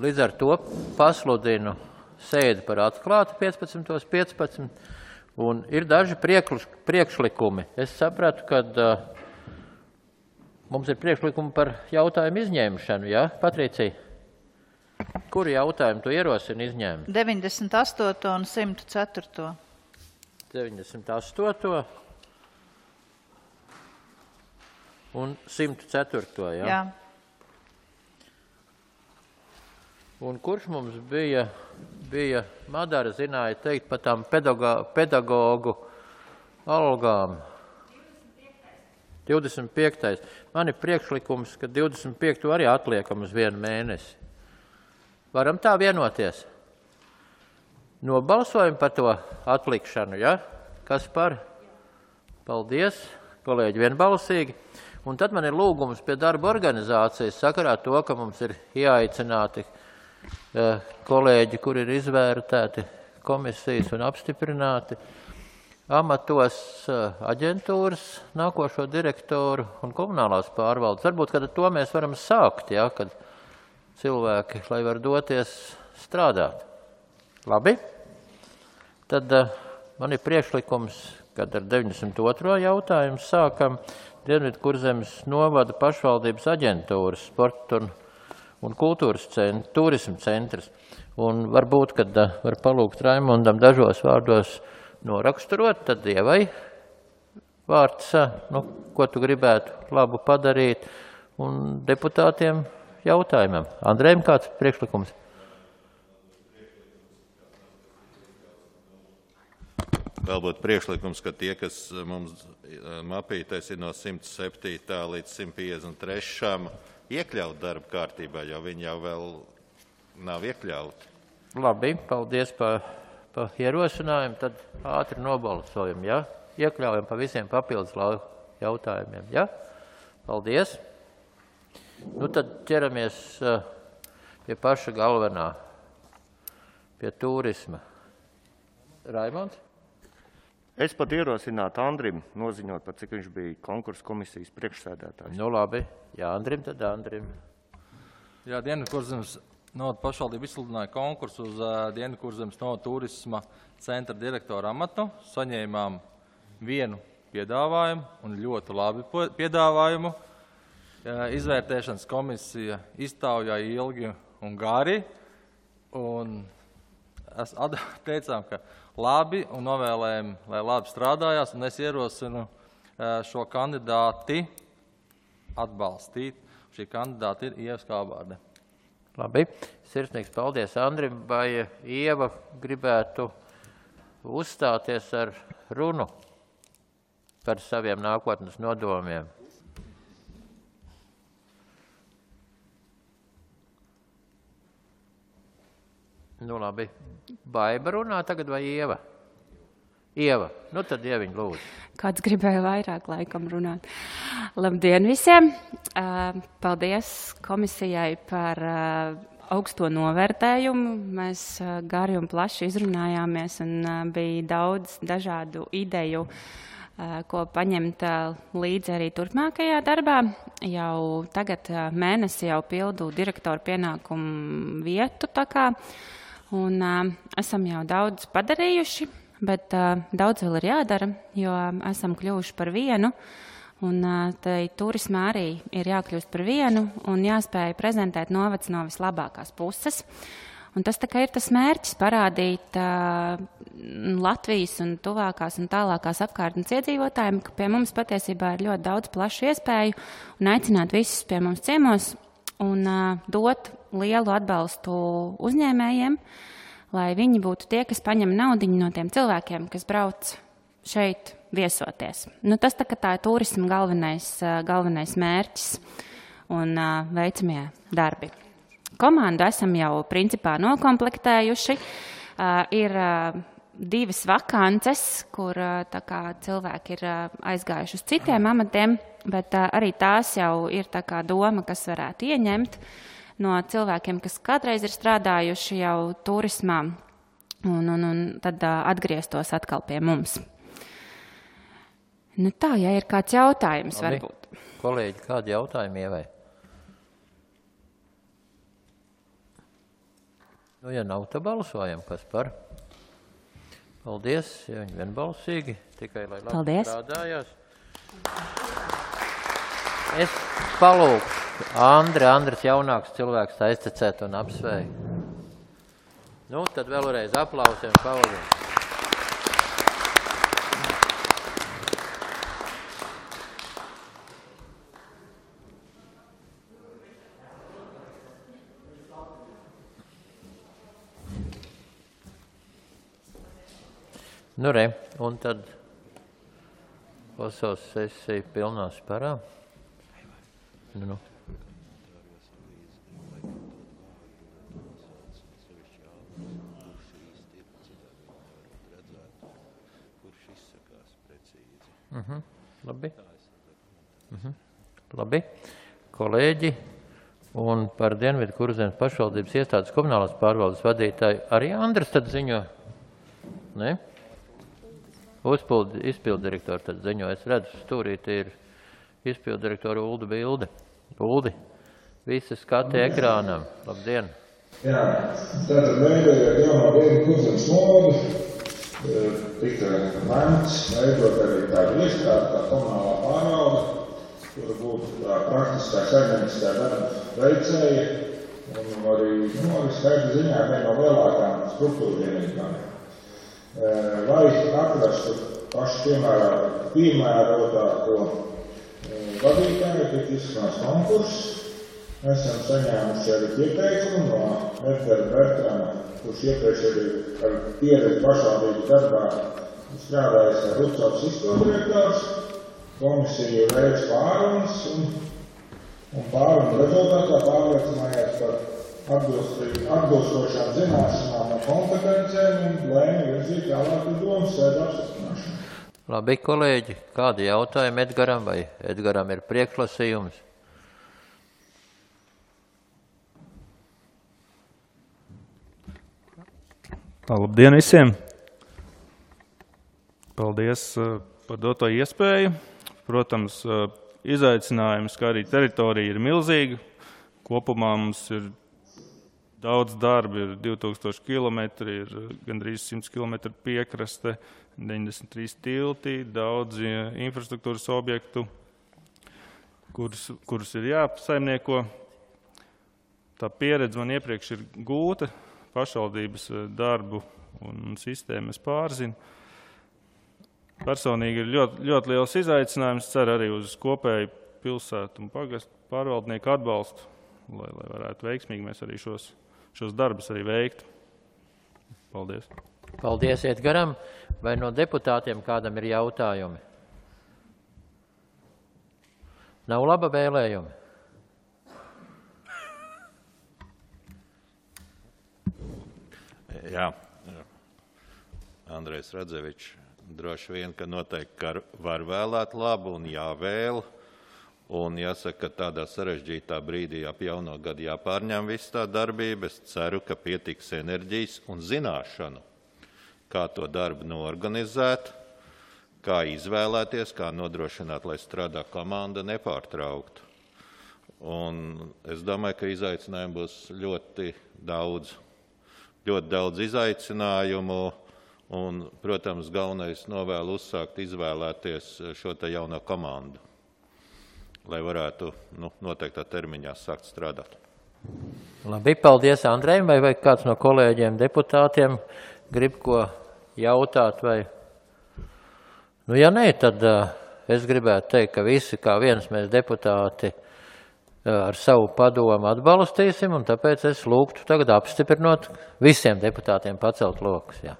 Līdz ar to pasludinu sēdi par atklātu 15:15, un ir daži priekšlikumi. Es sapratu, ka mums ir priekšlikumi par jautājumu izņemšanu, ja, Patricija? Kuru jautājumu tu ierosini izņēmt? 98. un 104. 98. un 104. Ja? Jā. Un kurš mums bija Madara zināja teikt par tām pedagogu algām? 25. Man ir priekšlikums, ka 25. arī atliekam uz 1 mēnesi. Varam tā vienoties? Nobalsojam par to atlikšanu, ja? Kas par? Paldies, kolēģi, vienbalsīgi. Un tad man ir lūgums pie darba organizācijas sakarā to, ka mums ir jāaicināti kolēģi, kuri ir izvērtēti komisijas un apstiprināti amatos aģentūras, nākošo direktoru un komunālās pārvaldes. Varbūt, kad to mēs varam sākt, ja, kad cilvēki, lai var doties strādāt. Labi? Tad man ir priekšlikums, kad ar 92. jautājumu sākam Dienvidkurzemes novada pašvaldības aģentūras sporta un kultūras turismu centrs. Un varbūt, kad var palūgt Raimondam dažos vārdos noraksturot, tad Ievai vārds, ko tu gribētu labu padarīt, un deputātiem jautājumam. Andrejam, kāds priekšlikums? Vēl būtu priekšlikums, ka tie, kas mums mapītais ir no 107. līdz 153. iekļaut darba kārtībā, jo viņi jau vēl nav iekļauti. Labi, paldies par ierosinājumu, tad ātri nobalsojam, ja? Iekļaujam pa visiem papildus jautājumiem, ja? Paldies. Nu tad ķeramies pie paša galvenā, pie turisma. Raimonds? Es pat ierosinātu Andrim noziņot, par cik viņš bija konkursu komisijas priekšsēdētājs. Nu labi, jā, Andrim, tad Andrim. Jā, Dienvidkurzemes novada pašvaldība izsludināja konkursu uz Dienvidkurzemes novada turisma centra direktora amatu. Saņēmām 1 piedāvājumu un ļoti labi piedāvājumu. Izvērtēšanas komisija iztaujāja ilgi un gari, un teicām, ka labi un novēlējam, lai labi strādājās, un es ierosinu šo kandidāti atbalstīt. Šī kandidāti ir Ieva Skābārde. Labi, sirsnīgs paldies Andrim. Vai Ieva gribētu uzstāties ar runu par saviem nākotnes nodomiem? Nu labi, Baiba runā tagad vai Ieva? Ieva, nu tad Ieviņ lūdzu. Kāds gribēja vairāk laikam runāt. Labdien visiem! Paldies komisijai par augsto novērtējumu. Mēs gari un plaši izrunājāmies un bija daudz dažādu ideju, ko paņemt līdzi arī turpmākajā darbā. Jau tagad mēnesi jau pildu direktoru pienākumu vietu tā kā. Un esam jau daudz padarījuši, bet daudz vēl ir jādara, jo esam kļuvuši par vienu. Un tai turismā arī ir jākļūst par vienu un jāspēj prezentēt novads no vislabākās puses. Un tas tā kā ir tas mērķis parādīt Latvijas un tuvākās un tālākās apkārtnes iedzīvotājiem, ka pie mums patiesībā ir ļoti daudz plašu iespēju un aicināt visus pie mums ciemos un dot lielu atbalstu uzņēmējiem, lai viņi būtu tie, kas paņem naudiņu no tiem cilvēkiem, kas brauc šeit viesoties. Nu, tas tā ir turisma galvenais mērķis un veicamie darbi. Komandu esam jau principā nokomplektējuši. Ir 2 vakances, kur tā kā cilvēki ir aizgājuši uz citiem amatiem, bet arī tās jau ir tā kā doma, kas varētu ieņemt no cilvēkiem, kas kādreiz ir strādājuši jau turismā un tad atgrieztos atkal pie mums. Nu tā, ja ir kāds jautājums, Labi. varbūt. Kolēģi, kādi jautājumi Ievai? Nu, ja nav, tad balsojam, kas par. Paldies, ja viņi vienbalsīgi, tikai lai labi strādājās. Es palūkšu Andris jaunāks cilvēks aiztecēt un apsveikt. Nu, tad vēlreiz aplausiem Paulim. Nu, re, un tad klausās sesija pilnā sparā. Nu. Labi. Labi. Kolēģi, un par Dienvidu Kurzemes pašvaldības iestādes komunālās pārvaldes vadītāju arī Andris tad ziņo? Ne? Izpildirektori tad ziņo. Es redzu, stūrīti ir izpildirektora Ulda Bilde. Uldi, visi skati ekrānam. Labdien! Jā, tātad veidojot jauno Dienvidu Kurzemes nodu, tika lemts veidot arī tādu iestādi, kā komunālā pārvalde, kura būtu tā praktiskā saimnieciskā darba veicēja un arī skaita ziņā viena no lielākām struktūra vienībām. Lai atrastu pašu piemērotāko vadītāju, tika izsludināts konkurss. Mēs esam saņēmuši arī pieteikumu no Edgara Bertrama, kurš iepriekš arī ar pieredzi pašvaldību darbā strādājis kā Rucavas izpildirektors. Komisija veic pārunas un pārunu rezultātā pārliecinājās par atbilstošām zināšanām un kompetencēm un lēma virzīt tālāk uz domas sēdu apstiprināšanu. Labi, kolēģi, kādi jautājumi Edgaram vai Edgaram ir priekšlasījums? Labdien visiem! Paldies par doto iespēju. Protams, izaicinājums, kā arī teritorija ir milzīga. Kopumā mums ir daudz darba, ir 2000 km, ir gandrīz 100 km piekraste, 93 tilti, daudz infrastruktūras objektu, kurus ir jāsaimnieko. Tā pieredze man iepriekš ir gūta. Pašvaldības darbu un sistēmu es pārzinu. Personīgi ir ļoti liels izaicinājums, ceru arī uz kopēju pilsētu un pagastu pārvaldnieku atbalstu, lai varētu veiksmīgi mēs arī šos darbus arī veikt. Paldies. Paldies, Edgaram. Vai no deputātiem kādam ir jautājumi? Nav laba vēlējumi? Jā, Andrejs Radzevičs droši vien, ka noteikti var vēlēt labu un jāvēl. Un jāsaka, ka tādā sarežģītā brīdī ap jauno gadu jāpārņem viss tā darbība. Es ceru, ka pietiks enerģijas un zināšanu, kā to darbu norganizēt, kā izvēlēties, kā nodrošināt, lai strādā komanda nepārtrauktu. Un es domāju, ka izaicinājumu būs ļoti daudz izaicinājumu un, protams, galvenais novēlu uzsākt izvēlēties šo te jauno komandu, lai varētu noteiktā termiņā sākt strādāt. Labi, paldies Andrejam, vai kāds no kolēģiem deputātiem grib ko jautāt vai? Nu, ja nē, tad es gribētu teikt, ka visi kā viens mēs deputāti ar savu padomu atbalstīsim, un tāpēc es lūgtu tagad apstiprinot visiem deputātiem pacelt lokus. Jā.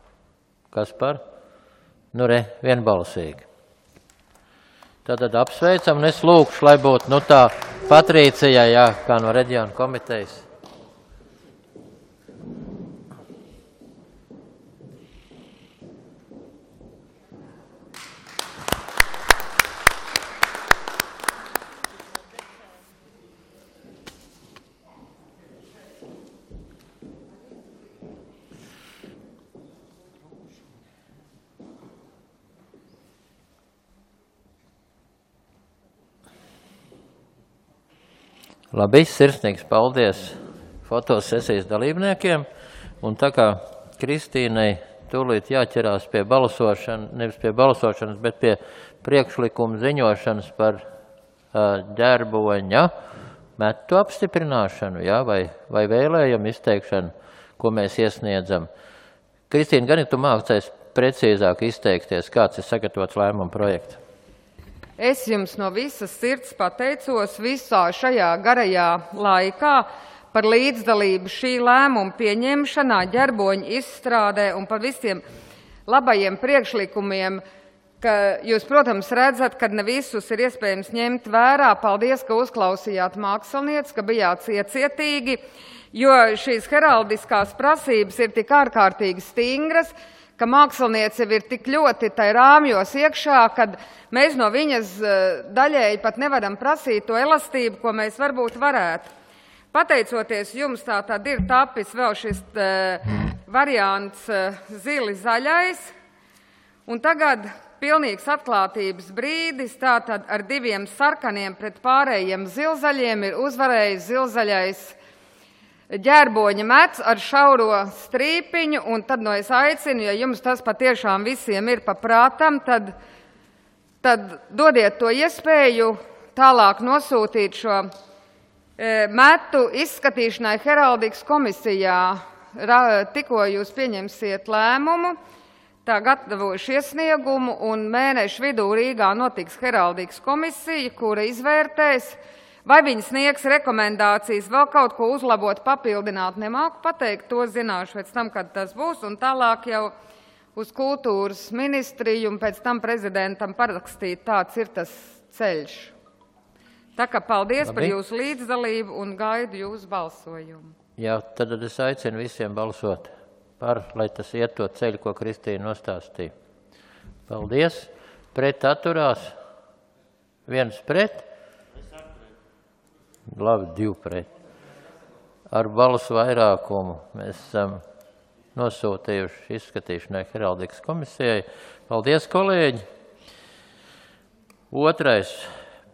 Kas par? Nu, re, vienbalsīgi. Tātad apsveicam, un es lūkšu, lai būtu tā Patricija, jā, kā no reģiona komitejas. Labi, sirsnīgs paldies fotosesijas dalībniekiem. Un tā kā Kristīnai tūlīt jāķerās pie balsošanas, nevis pie balsošanas, bet pie priekšlikuma ziņošanas par ģerboņa metu apstiprināšanu, ja, vai vēlējumu izteikšanu, ko mēs iesniedzam. Kristīna, gan tu mācies precīzāk izteikties, kāds ir sagatavots lēmuma projekts? Es jums no visas sirds pateicos visā šajā garajā laikā par līdzdalību šī lēmuma pieņemšanā, ģerboņa izstrādē un par visiem labajiem priekšlikumiem, ka jūs, protams, redzat, ka ne visus ir iespējams ņemt vērā. Paldies, ka uzklausījāt mākslinieci, ka bijāt iecietīgi, jo šīs heraldiskās prasības ir tik ārkārtīgi stingras, ka mākslinieci ir tik ļoti tai rāmjos iekšā, kad mēs no viņas daļēji pat nevaram prasīt to elastību, ko mēs varbūt varētu. Pateicoties jums, tā tad ir tapis vēl šis variants zili zaļais, un tagad pilnīgs atklātības brīdis, tātad ar 2 sarkaniem pret pārējiem zilzaļiem ir uzvarējis zilzaļais ģerboņa mets ar šauro strīpiņu, un tad no es aicinu, ja jums tas patiešām visiem ir paprātam, tad dodiet to iespēju tālāk nosūtīt šo metu izskatīšanai heraldikas komisijā. Tikko jūs pieņemsiet lēmumu, tā gatavojuši iesniegumu, un mēnešu vidū Rīgā notiks heraldikas komisija, kura izvērtēs, vai viņi sniegs rekomendācijas vēl kaut ko uzlabot, papildināt, nemāku pateikt, to zināšu pēc tam, kad tas būs, un tālāk jau uz kultūras ministriju un pēc tam prezidentam parakstīt, tāds ir tas ceļš. Tā kā paldies par jūsu līdzdalību un gaidu jūsu balsojumu. Jā, tad es aicinu visiem balsot par, lai tas iet to ceļu, ko Kristīna nostāstīja. Paldies. Pret atturās. 1 pret. Labi, 2 pret. Ar balsu vairākumu mēs esam nosūtījuši izskatīšanai heraldikas komisijai. Paldies, kolēģi. 2.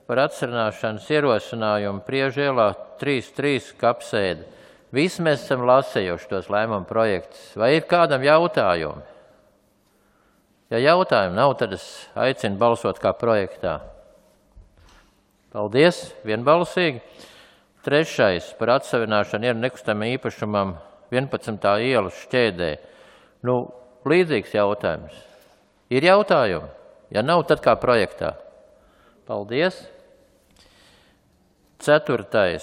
par atcerināšanas ierosinājumu Priežielā 3.3 kapsēdi. Visi mēs esam lasējuši tos lēmumu projektus. Vai ir kādam jautājumi? Ja jautājumu nav, tad es aicinu balsot kā projektā. Paldies, vienbalsīgi. 3. par atsavināšanu ir nekustamam īpašumam 11. ielas šķēdē. Līdzīgs jautājums. Ir jautājumi? Ja nav, tad kā projektā. Paldies. 4.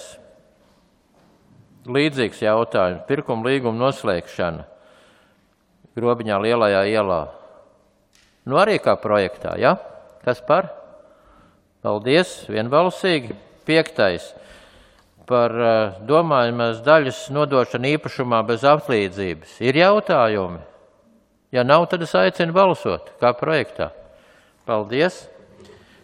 līdzīgs jautājums. Pirkuma līguma noslēgšana Grobiņā Lielajā ielā. Arī kā projektā, ja? Kas par? Paldies, vienbalsīgi. 5. par domājumās daļas nodošanu īpašumā bez atlīdzības. Ir jautājumi? Ja nav, tad es aicinu balsot kā projektā. Paldies.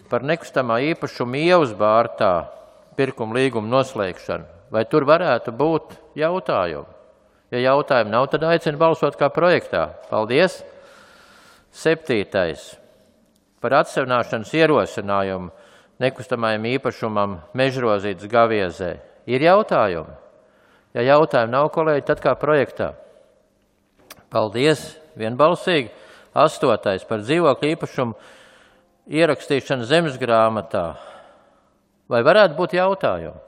Par nekustamā īpašuma ievas bārtā pirkuma līguma noslēgšanu. Vai tur varētu būt jautājumi? Ja jautājumi nav, tad aicinu balsot kā projektā. Paldies. 7. par atsevināšanas ierosinājumu nekustamajam īpašumam Mežrozītes Gaviezē. Ir jautājumi? Ja jautājumi nav, kolēģi, tad kā projektā. Paldies, vienbalsīgi. 8. par dzīvokļu īpašumu ierakstīšanu zemesgrāmatā. Vai varētu būt jautājumi?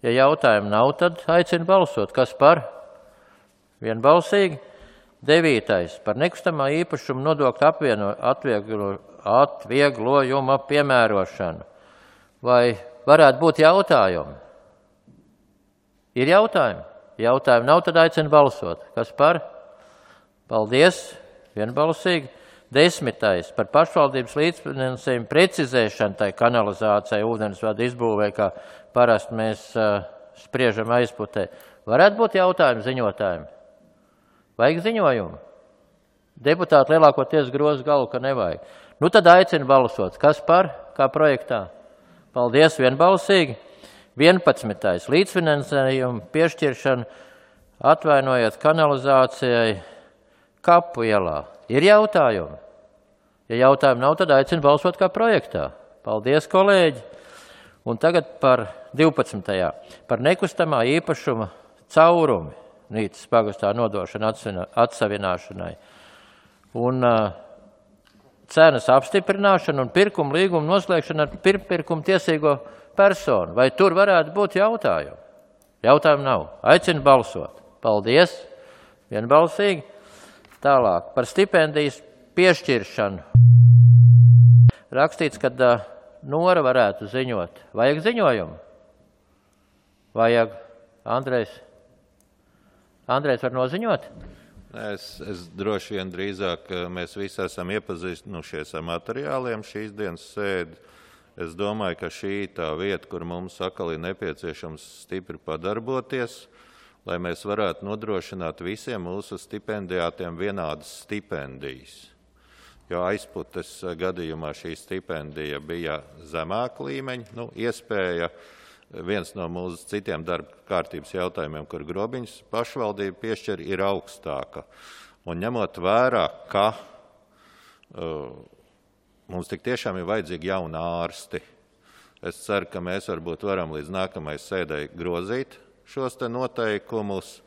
Ja jautājumi nav, tad aicinu balsot. Kas par? Vienbalsīgi. 9. par nekustamā īpašuma nodokļu atvieglojuma piemērošanu. Vai varētu būt jautājumi? Ir jautājumi? Jautājumi nav, tad aicinu balsot. Kas par? Paldies, vienbalsīgi. 10. par pašvaldības līdzfinansējumu precizēšanu tai kanalizācijai, ūdensvadu izbūvē, kā parasti mēs spriežam aizputē. Varētu būt jautājumi ziņotājiem? Vajag ziņojumu? Deputāti lielākoties groz galvu, ka nevajag. Tad aicinu balsot. Kas par? Kā projektā? Paldies, vienbalsīgi. 11. līdzfinansējumu piešķiršanu atvainojot kanalizācijai Kapu ielā. Ir jautājumi? Ja jautājumi nav, tad aicinu balsot kā projektā. Paldies, kolēģi. Un tagad par 12. par nekustamā īpašuma caurumi. Nīcas pagastā nodošana atsavināšanai. Un cenas apstiprināšana un pirkuma līguma noslēgšana ar pirkuma tiesīgo personu. Vai tur varētu būt jautājumi? Jautājumu nav. Aicinu balsot. Paldies. Vienbalsīgi. Tālāk par stipendijas piešķiršanu. Rakstīts, ka Nora varētu ziņot. Vajag ziņojumu? Vajag. Andrejs var noziņot? Es droši vien drīzāk mēs visi esam iepazinušies ar materiāliem šīs dienas sēdi. Es domāju, ka šī tā vieta, kur mums atkal ir nepieciešams stipri padarboties, lai mēs varētu nodrošināt visiem mūsu stipendijātiem vienādas stipendijas. Jo aizputes gadījumā šī stipendija bija zemāka līmeņa, iespēja viens no mūsu citiem darba kārtības jautājumiem, kur Grobiņas pašvaldība piešķir, ir augstāka. Un ņemot vērā, ka mums tik tiešām ir vajadzīgi jauni ārsti, es ceru, ka mēs varbūt varam līdz nākamajai sēdei grozīt šos te noteikumus,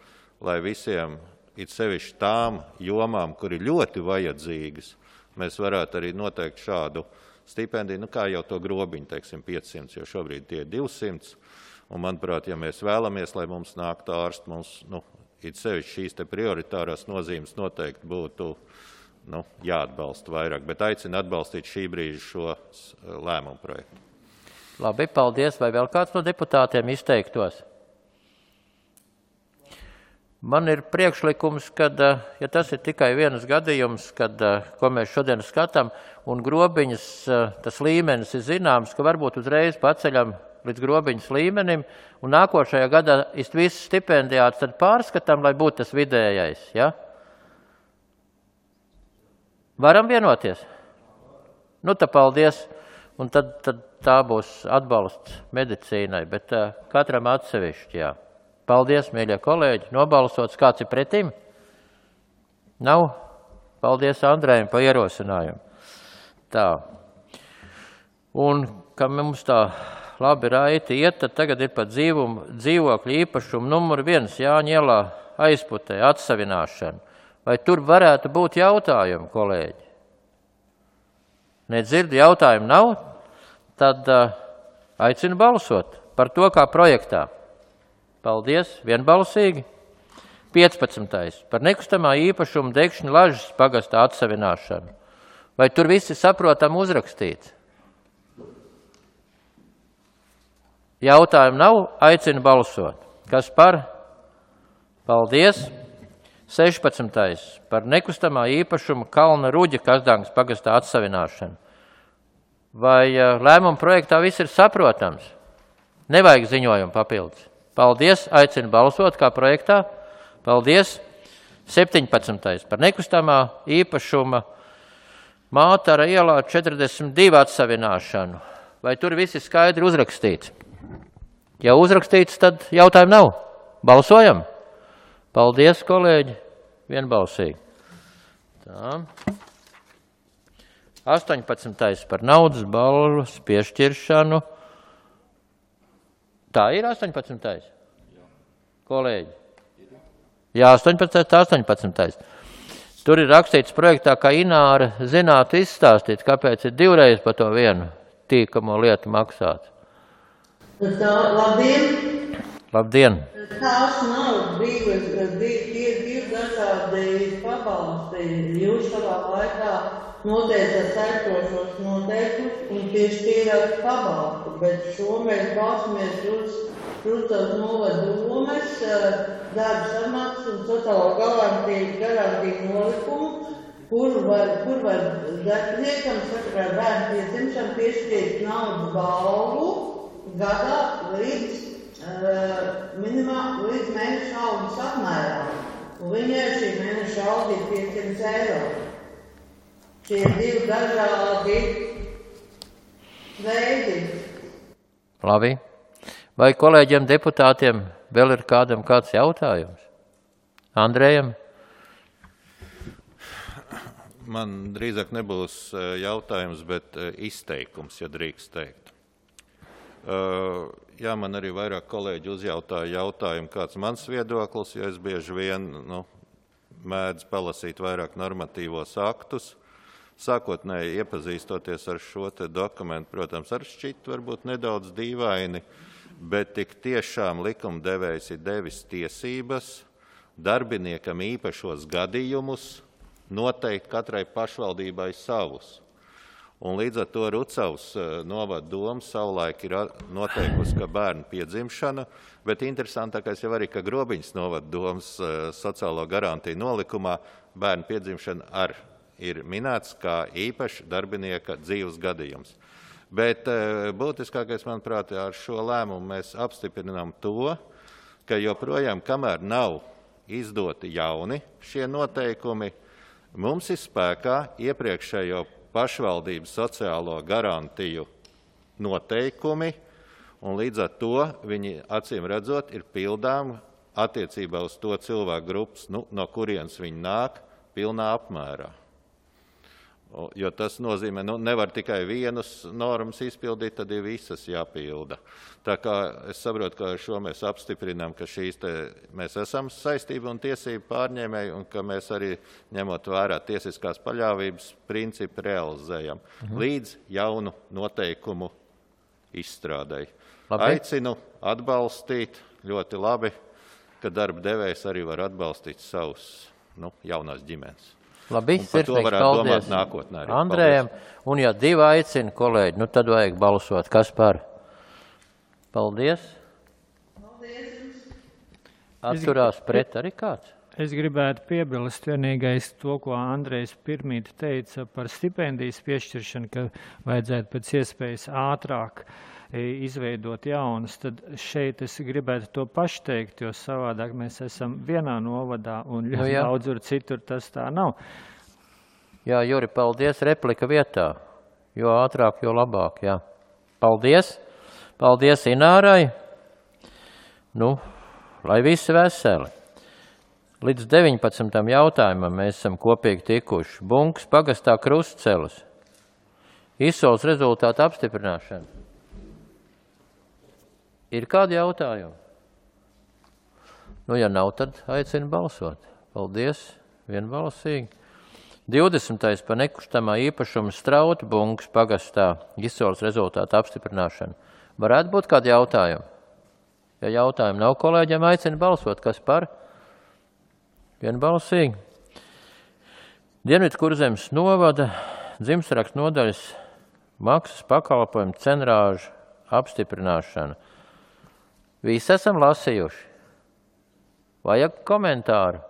lai visiem, it sevišķi tām jomām, kur ir ļoti vajadzīgas, mēs varētu arī noteikt šādu stipendiju, kā jau to Grobiņu, teiksim, 500, jo šobrīd tie 200. Un, manuprāt, ja mēs vēlamies, lai mums nāktu ārsti, mums, it sevišķi šīs te prioritārās nozīmes noteikti būtu, jāatbalsta vairāk. Bet aicinu atbalstīt šī brīža šo lēmumu projektu. Labi, paldies. Vai vēl kāds no deputātiem izteiktos? Man ir priekšlikums, kad, ja tas ir tikai vienas gadījums, ko mēs šodien skatām, un Grobiņas tas līmenis ir zināms, ka varbūt uzreiz paceļam līdz Grobiņas līmenim, un nākošajā gadā visus stipendijātus tad pārskatām, lai būtu tas vidējais. Ja? Varam vienoties? Tā paldies. Un tad tā būs atbalsts medicīnai, bet katram atsevišķi, jā. Paldies, mīļie kolēģi, nobalsots. Kāds ir pretim? Nav? Paldies Andrejam par ierosinājumu. Tā. Un, ka mums tā labi raiti iet, tad tagad ir par dzīvokļu īpašumu numuru 1 Jāņa ielā aizputē atsavināšanu. Vai tur varētu būt jautājumi, kolēģi? Nedzirdu, jautājumu nav? Tad aicinu balsot par to kā projektā. Paldies, vienbalsīgi. 15. Par nekustamā īpašuma degšņu Lažas pagastā atsavināšanu. Vai tur visi saprotam uzrakstīts? Jautājumu nav, aicinu balsot. Kas par? Paldies. 16. Par nekustamā īpašuma Kalna Ruģa Kazdāngas pagastā atsavināšanu. Vai lēmuma projektā viss ir saprotams? Nevajag ziņojumu papildus. Paldies, aicinu balsot kā projektā. Paldies. 17. Par nekustamā īpašuma Mātara ielā 42 atsavināšanu. Vai tur viss ir skaidri uzrakstīts? Ja uzrakstīts, tad jautājumu nav. Balsojam? Paldies, kolēģi. Vienbalsīgi. Tā. 18. Par naudas balvas piešķiršanu. Tā ir 18. Kolēģi. Jā, 18. Tur ir rakstīts projektā, ka Ināra zinātu izstāstīt, kāpēc ir 2 reizes par to vienu tīkamo lietu maksāt. Labdien! Labdien! Tās nav divi dažādi pabalsti. Jūs savā laikā noteicat saitošos noteikumus un piešķīrāt pabalstu, bet šo mēs balstamies uz tās novada domes, darba samaksas un sociālo garantiju nolikumu, kur var darbiniekam sakarā bērnu piedzimšanu piešķirt naudas balvu gadā līdz mēneša algas apmērā. Un viņai šī mēneša alga ir 500 eiro. Šie ir 2 dažādi veidi. Labi. Vai kolēģiem deputātiem vēl ir kādam kāds jautājums? Andrejam? Man drīzāk nebūs jautājums, bet izteikums, ja drīkst teikt. Jā, man arī vairāk kolēģi uzjautāja jautājumu, kāds mans viedoklis, jo es bieži vien mēdzu palasīt vairāk normatīvos aktus. Sākotnēji iepazīstoties ar šo te dokumentu, protams, ar šķitu varbūt nedaudz dīvaini, bet tik tiešām likumdevējs ir devis tiesības darbiniekam īpašos gadījumus noteikt katrai pašvaldībai savus. Un līdz ar to Rucavas novada doma savulaik ir noteikusi, ka bērnu piedzimšana, bet interesantākais jau arī, ka Grobiņas novada domas sociālo garantiju nolikumā bērnu piedzimšana ir minēts kā īpaši darbinieka dzīves gadījums. Bet būtiskākais, manuprāt, ar šo lēmumu mēs apstiprinām to, ka joprojām, kamēr nav izdoti jauni šie noteikumi, mums ir spēkā iepriekšējo pašvaldības sociālo garantiju noteikumi, un līdz ar to viņi, acīm redzot, ir pildām attiecībā uz to cilvēku grupas, no kurienes viņi nāk, pilnā apmērā. Jo tas nozīmē, nevar tikai vienas normas izpildīt, tad ir visas jāpilda. Tā kā es saprotu, ka ar šo mēs apstiprinām, ka mēs esam saistību un tiesību pārņēmēji un ka mēs arī ņemot vērā tiesiskās paļāvības principu realizējam līdz jaunu noteikumu izstrādēji. Aicinu atbalstīt ļoti labi, ka darba devējs arī var atbalstīt savus jaunās ģimenes. Labi, sirsnīgs paldies Andrējam. Un ja divi aicina kolēģi, tad vajag balsot. Kas par? Paldies. Atturās pret arī kāds? Es gribētu piebilst vienīgais to, ko Andrejs pirmīt teica par stipendijas piešķiršanu, ka vajadzētu pēc iespējas ātrāk izveidot jaunas, tad šeit es gribētu to pašu teikt, jo savādāk mēs esam vienā novadā un ļoti daudz citur tas tā nav. Jā, Juri, paldies, replika vietā. Jo ātrāk, jo labāk, jā. Paldies. Paldies Inārai. Lai visi veseli. Līdz 19. jautājumam mēs esam kopīgi tikuši. Bunkas pagastā Krustcelis. Izsoles rezultātu apstiprināšana. Ir kādi jautājumi? Ja nav, tad aicinu balsot. Paldies, vienbalsīgi. 20. par nekustamā īpašuma Strauta Bunkas pagastā izsoles rezultātu apstiprināšana. Varētu būt kādi jautājumi? Ja jautājumi nav kolēģiem, aicinu balsot. Kas par? Vienbalsīgi. Dienvidkurzemes novada dzimstarakstu nodaļas maksas pakalpojumu cenrāžu apstiprināšana. Visi esam lasījuši. Vajag komentāru,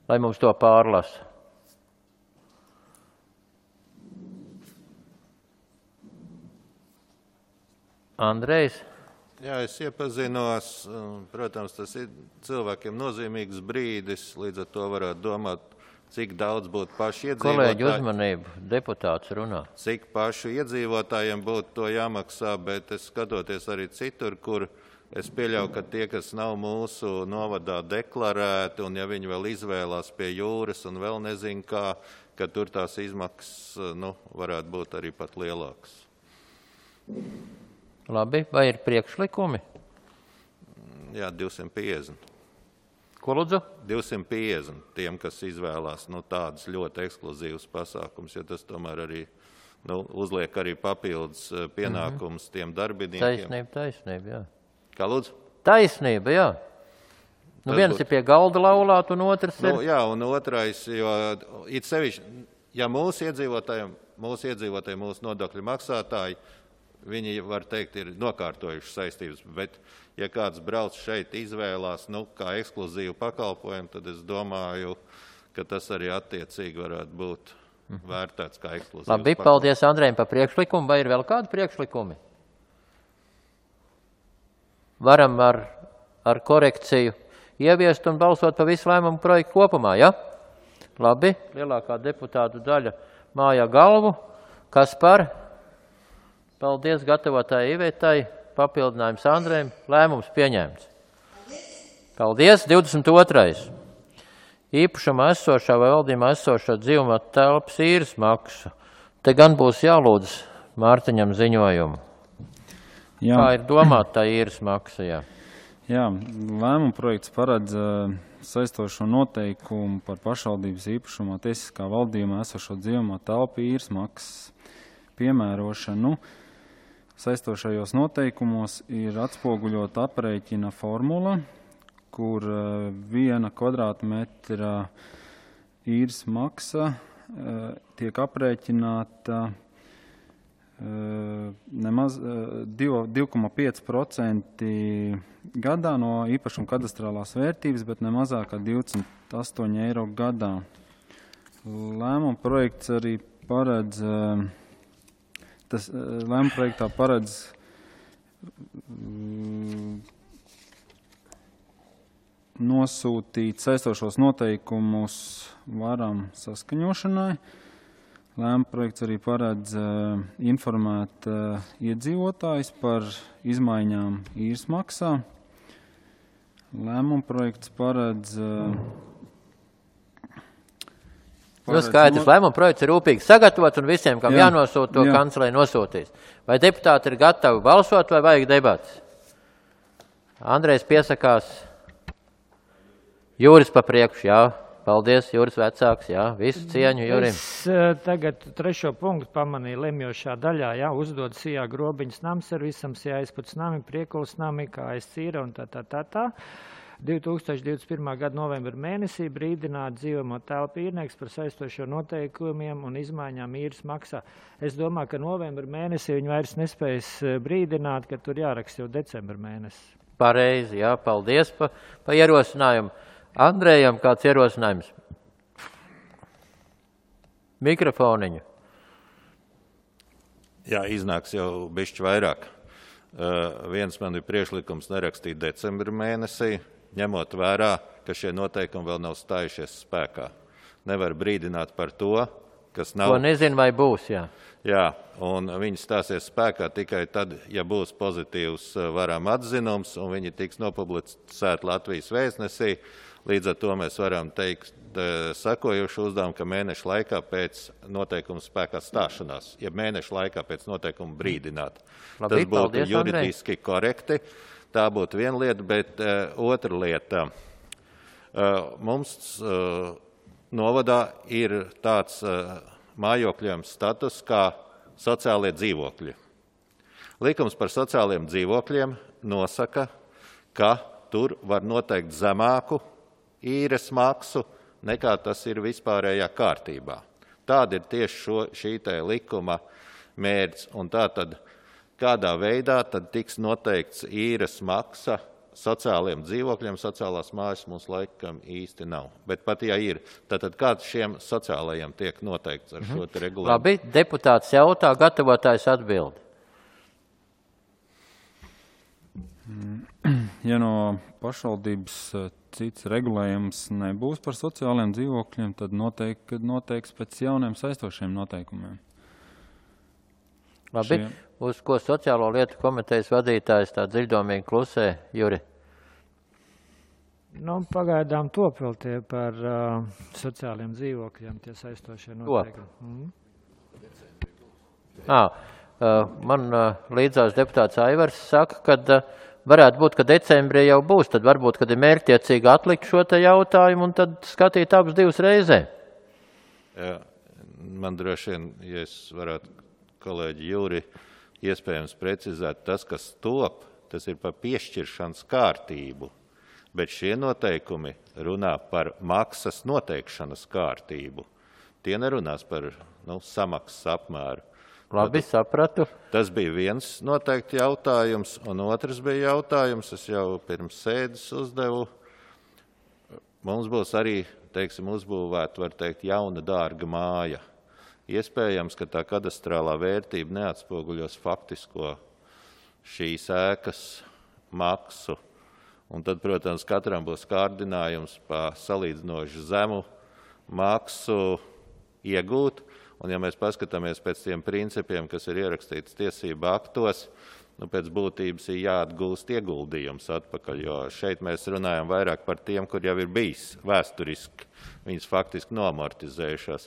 lai mums to pārlasa. Andrejs? Jā, es iepazinos. Protams, tas ir cilvēkiem nozīmīgs brīdis, līdz ar to varētu domāt, cik daudz būtu paši iedzīvotāji. Kolēģi uzmanību, deputāts runā. Cik paši iedzīvotājiem būtu to jāmaksā, bet es skatoties arī citur, kur es pieļauju, ka tie, kas nav mūsu novadā deklarēti, un ja viņi vēl izvēlās pie jūras un vēl nezin kā, ka tur tās izmaksas varētu būt arī pat lielākas. Labi, vai ir priekšlikumi? Jā, 250. Ko lūdzu? 250 tiem, kas izvēlās tādas ļoti ekskluzīvas pasākums, jo tas tomēr arī uzliek arī papildus pienākums tiem darbiniekiem. Taisnība, jā. Kā lūdzu? Taisnība, jā. Viens ir pie galda laulāt, un otrs ir... Jā, un otrais, jo it sevišķi, ja mūsu iedzīvotāji, mūsu nodokļu maksātāji, viņi, var teikt, ir nokārtojuši saistības, bet ja kāds brauc šeit izvēlās, kā ekskluzīvu pakalpojumu, tad es domāju, ka tas arī attiecīgi varētu būt vērtēts kā ekskluzīvs. Labi, paldies Andrejam par priekšlikumu. Vai ir vēl kādi priekšlikumi? Varam ar korekciju ieviest un balsot par visu lēmumu projektu kopumā, ja? Labi, lielākā deputātu daļa mājā galvu. Kas par? Paldies gatavotāji Ivetai, papildinājums Andrejam, lēmums pieņemts. Paldies, 22. Īpašumā esošā vai valdījumā esošā dzīvumā telpas īres maksa. Te gan būs jālūdz Mārtiņam ziņojumu. Jā. Kā ir domāta tā īres maksa? Jā. Jā, lēmuma projekts paredz saistošo noteikumu par pašvaldības īpašumā tiesiskā valdījumā esošo dzīvojamo telpu īres maksas piemērošanu. Saistošajos noteikumos ir atspoguļota aprēķina formula, kur 1 kvadrātmetra īres maksa tiek aprēķināta nemaz 2,5% gadā no īpašuma kadastrālās vērtības, bet ne mazāk kā 28 eiro gadā. Lēmuma projekts arī paredz, lēmuma projektā paredz nosūtīt saistošos noteikumus varam saskaņošanai. Lēmuma projekts arī paredz informēt iedzīvotājus par izmaiņām īres maksā. Lēmuma projekts paredz... Skaidrs, lēmuma projekts ir rūpīgi sagatavots un visiem, kam jānosūt, to kancelei nosūtīs. Vai deputāti ir gatavi balsot vai vajag debats? Andrejs piesakās. Jūris pa priekšu, jā. Paldies, Juris vecāks, jā, visu cieņu Jurim. Es tagad 3. punktu pamanīju lemjošā daļā, jā, uzdod sijā grobiņas namservisam, sijā aizputs nami, priekuls nami, kā aizcīra un tā. 2021. gada novembra mēnesī brīdināt dzīvojamo telpu īrnieks par saistošo noteikumiem un izmaiņām īres maksā. Es domāju, ka novembra mēnesī viņi vairs nespējas brīdināt, ka tur jāraksta jau decembra mēnesis. Pareizi, jā, paldies pa ierosinājumu. Andrejam kāds ierosinājums? Mikrofoniņu. Jā, iznāks jau bišķi vairāk. Viens man ir priekšlikums nerakstīt decembra mēnesī, ņemot vērā, ka šie noteikumi vēl nav stājušies spēkā. Nevar brīdināt par to, kas nav... To nezinu, vai būs, jā. Jā, un viņi stāsies spēkā tikai tad, ja būs pozitīvs varam atzinums, un viņi tiks nopublicēti Latvijas vēstnesī. Līdz ar to mēs varam teikt sekojušu uzdevumu, ka mēneša laikā pēc noteikuma spēkā stāšanās, ja mēneša laikā pēc noteikuma brīdināt. Labi, tas būtu paldies, juridiski korekti. Tā būtu viena lieta, bet otra lieta. Mums novadā ir tāds mājokļiem status kā sociālie dzīvokļi. Likums par sociāliem dzīvokļiem nosaka, ka tur var noteikt zemāku īres maksu, nekā tas ir vispārējā kārtībā. Tāda ir tieši šī likuma mērķis. Un tātad, kādā veidā tad tiks noteikts īres maksa sociāliem dzīvokļiem, sociālās mājas mums laikam īsti nav. Bet pat ja ir, tad kāds šiem sociālajiem tiek noteikts ar šo te regulējumu? Labi, deputāts jautā, gatavotājs atbild. Ja no pašvaldības cits regulējums nebūs par sociālajiem dzīvokļiem, tad noteiks pēc jauniem saistošiem noteikumiem. Labi, uz ko sociālo lietu komitejas vadītājs tā dziļdomīgi klusē, Juri? Pagaidām top vēl tie par sociāliem dzīvokļiem, tie saistošie noteikumi. Man līdzās deputāts Aivars saka, ka varētu būt, ka decembrī jau būs, tad varbūt, kad ir mērķtiecīgi atlikt šo te jautājumu un tad skatīt abas divas reizē. Jā, man droši vien, ja es varētu kolēģi Jūri iespējams precizēt, tas, kas top, tas ir par piešķiršanas kārtību, bet šie noteikumi runā par maksas noteikšanas kārtību. Tie nerunās par samaksas apmēru. Labi, sapratu. Tas bija viens noteikti jautājums, un otrs bija jautājums, es jau pirms sēdes uzdevu. Mums būs arī, uzbūvēta, var teikt, jauna dārga māja. Iespējams, ka tā kadastrālā vērtība neatspoguļos faktisko šīs ēkas maksu. Un tad, protams, katram būs kārdinājums pa salīdzinoši zemu maksu iegūt. Un ja mēs paskatāmies pēc tiem principiem, kas ir ierakstīts tiesību aktos, pēc būtības ir jāatgūst ieguldījums atpakaļ, jo šeit mēs runājam vairāk par tiem, kur jau ir bijis vēsturiski, viņas faktiski nomortizējušās.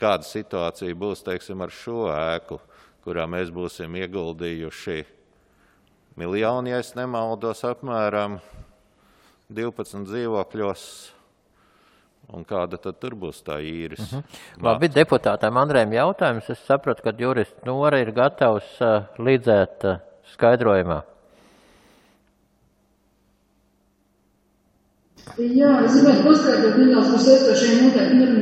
Kāda situācija būs, ar šo ēku, kurā mēs būsim ieguldījuši miljoni, ja es nemaldos, apmēram 12 dzīvokļos. Un kāda tad tur būs tā īres? Labi, deputātām Andrējam jautājums. Es sapratu, ka jurists Nora ir gatavs līdzēt skaidrojumā. Jā, es gribētu paskaidrot nedaudz par saistošiem noteikumiem.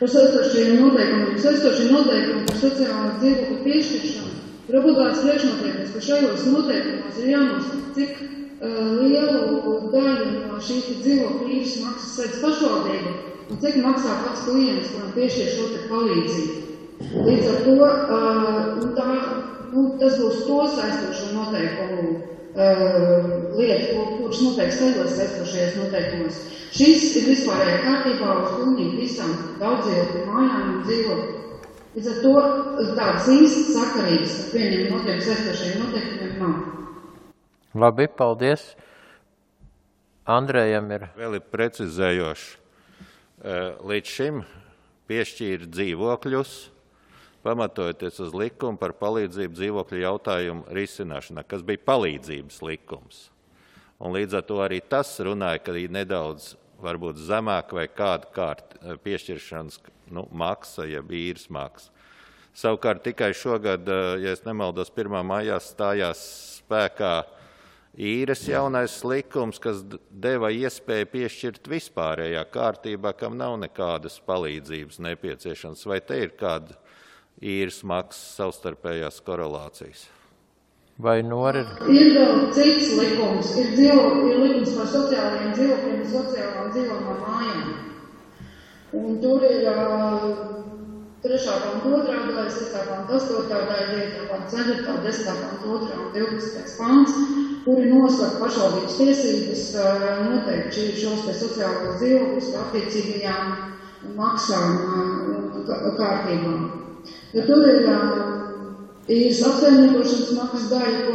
Par saistošiem noteikumiem. Saistošie noteikumi par sociālās dzīvokļu piešķiršanu ir obligāts priekšnoteikums, ka šajos noteikumos ir jānosaka, cik lielu daļu no šīs dzīvokļu īres maksas sedz pašvaldība un cik maksā pats klients, kuram piešķir šo te palīdzību. Līdz ar to tas būs to saistošo noteikumu lieta, kurš noteikti saidos saistošajos noteikumos. Šis ir vispārējā kārtībā uz pilnīgi visām daudzdzīvokļu mājām un dzīvokļu. Līdz ar to tādas īstas sakarības ar vieniem noteikti saistošajiem noteikumiem nav. Labi, paldies. Andrējam ir. Vēl ir precizējoši. Līdz šim piešķīra dzīvokļus, pamatojoties uz likumu par palīdzību dzīvokļu jautājumu risināšanā, kas bija palīdzības likums. Un līdz ar to arī tas runāja, ka ir nedaudz varbūt zemāk vai kāda piešķiršanas maksa, jeb īres maksa. Savukārt tikai šogad, ja es nemaldos, 1. maijā stājās spēkā īres jaunais likums, kas deva iespēju piešķirt vispārējā kārtībā, kam nav nekādas palīdzības nepieciešams. Vai te ir kāda īres maksas savstarpējās korelācijas? Vai Nora ir? Ir vēl cits likums. Ir likums par sociālajiem dzīvokļiem un sociālām dzīvojamām mājām. Un tur ir 3. panta 2. daļa, 6. panta 8. daļa, 9. panta 4., 10. panta 2. un 12. pants, kuri nosaka pašvaldības tiesības noteikti šos te sociālos dzīvokļus par attiecīgajām maksām un kārtībām. Ja tur ir īres apsaimniekošanas maksas daļa, ko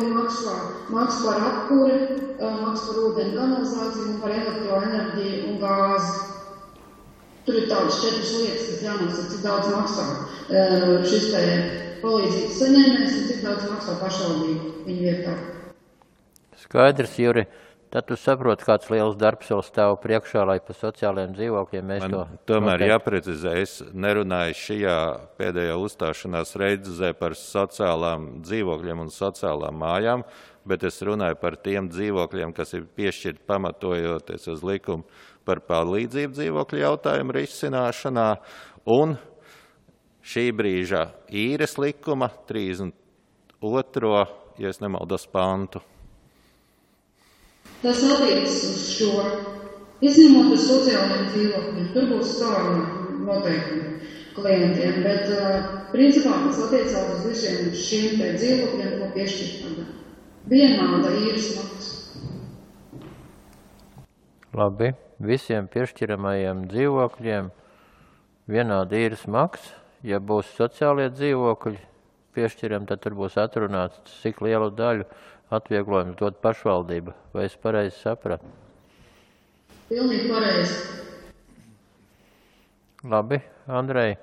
maksas par apkuri, maksas par ūdeni kanalizāciju un par elektroenerģiju un gāzi. Tur ir tādas 4 lietas, kas jānosaka, cik daudz maksā šis te palīdzības saņēmējs un cik daudz maksā pašvaldība viņa vietā. Skaidrs, Juri. Tad tu saproti, kāds liels darbs vēl stāv priekšā, lai pa sociālajiem dzīvokļiem mēs to... Tomēr jāprecizē, es nerunāju šajā pēdējā uzstāšanās reizē par sociālām dzīvokļiem un sociālām mājām, bet es runāju par tiem dzīvokļiem, kas ir piešķirti pamatojoties uz likumu par palīdzību dzīvokļu jautājumu risināšanā un šī brīža īres likuma 32. ja es nemaldos pantu. Tas attiecas uz šo, izņemot uz sociālajiem dzīvokļiem, tur būs savām noteikumi klientiem, bet principā tas attiecās uz visiem šīm te dzīvokļiem, ko piešķirta vienāda īres maksa. Labi, visiem piešķiramajiem dzīvokļiem vienāda īres maksa. Ja būs sociālie dzīvokļi piešķiram, tad tur būs atrunāts, cik lielu daļu atvieglojums dod pašvaldība. Vai es pareizi sapratu? Pilnīgi pareizi. Labi, Andrej,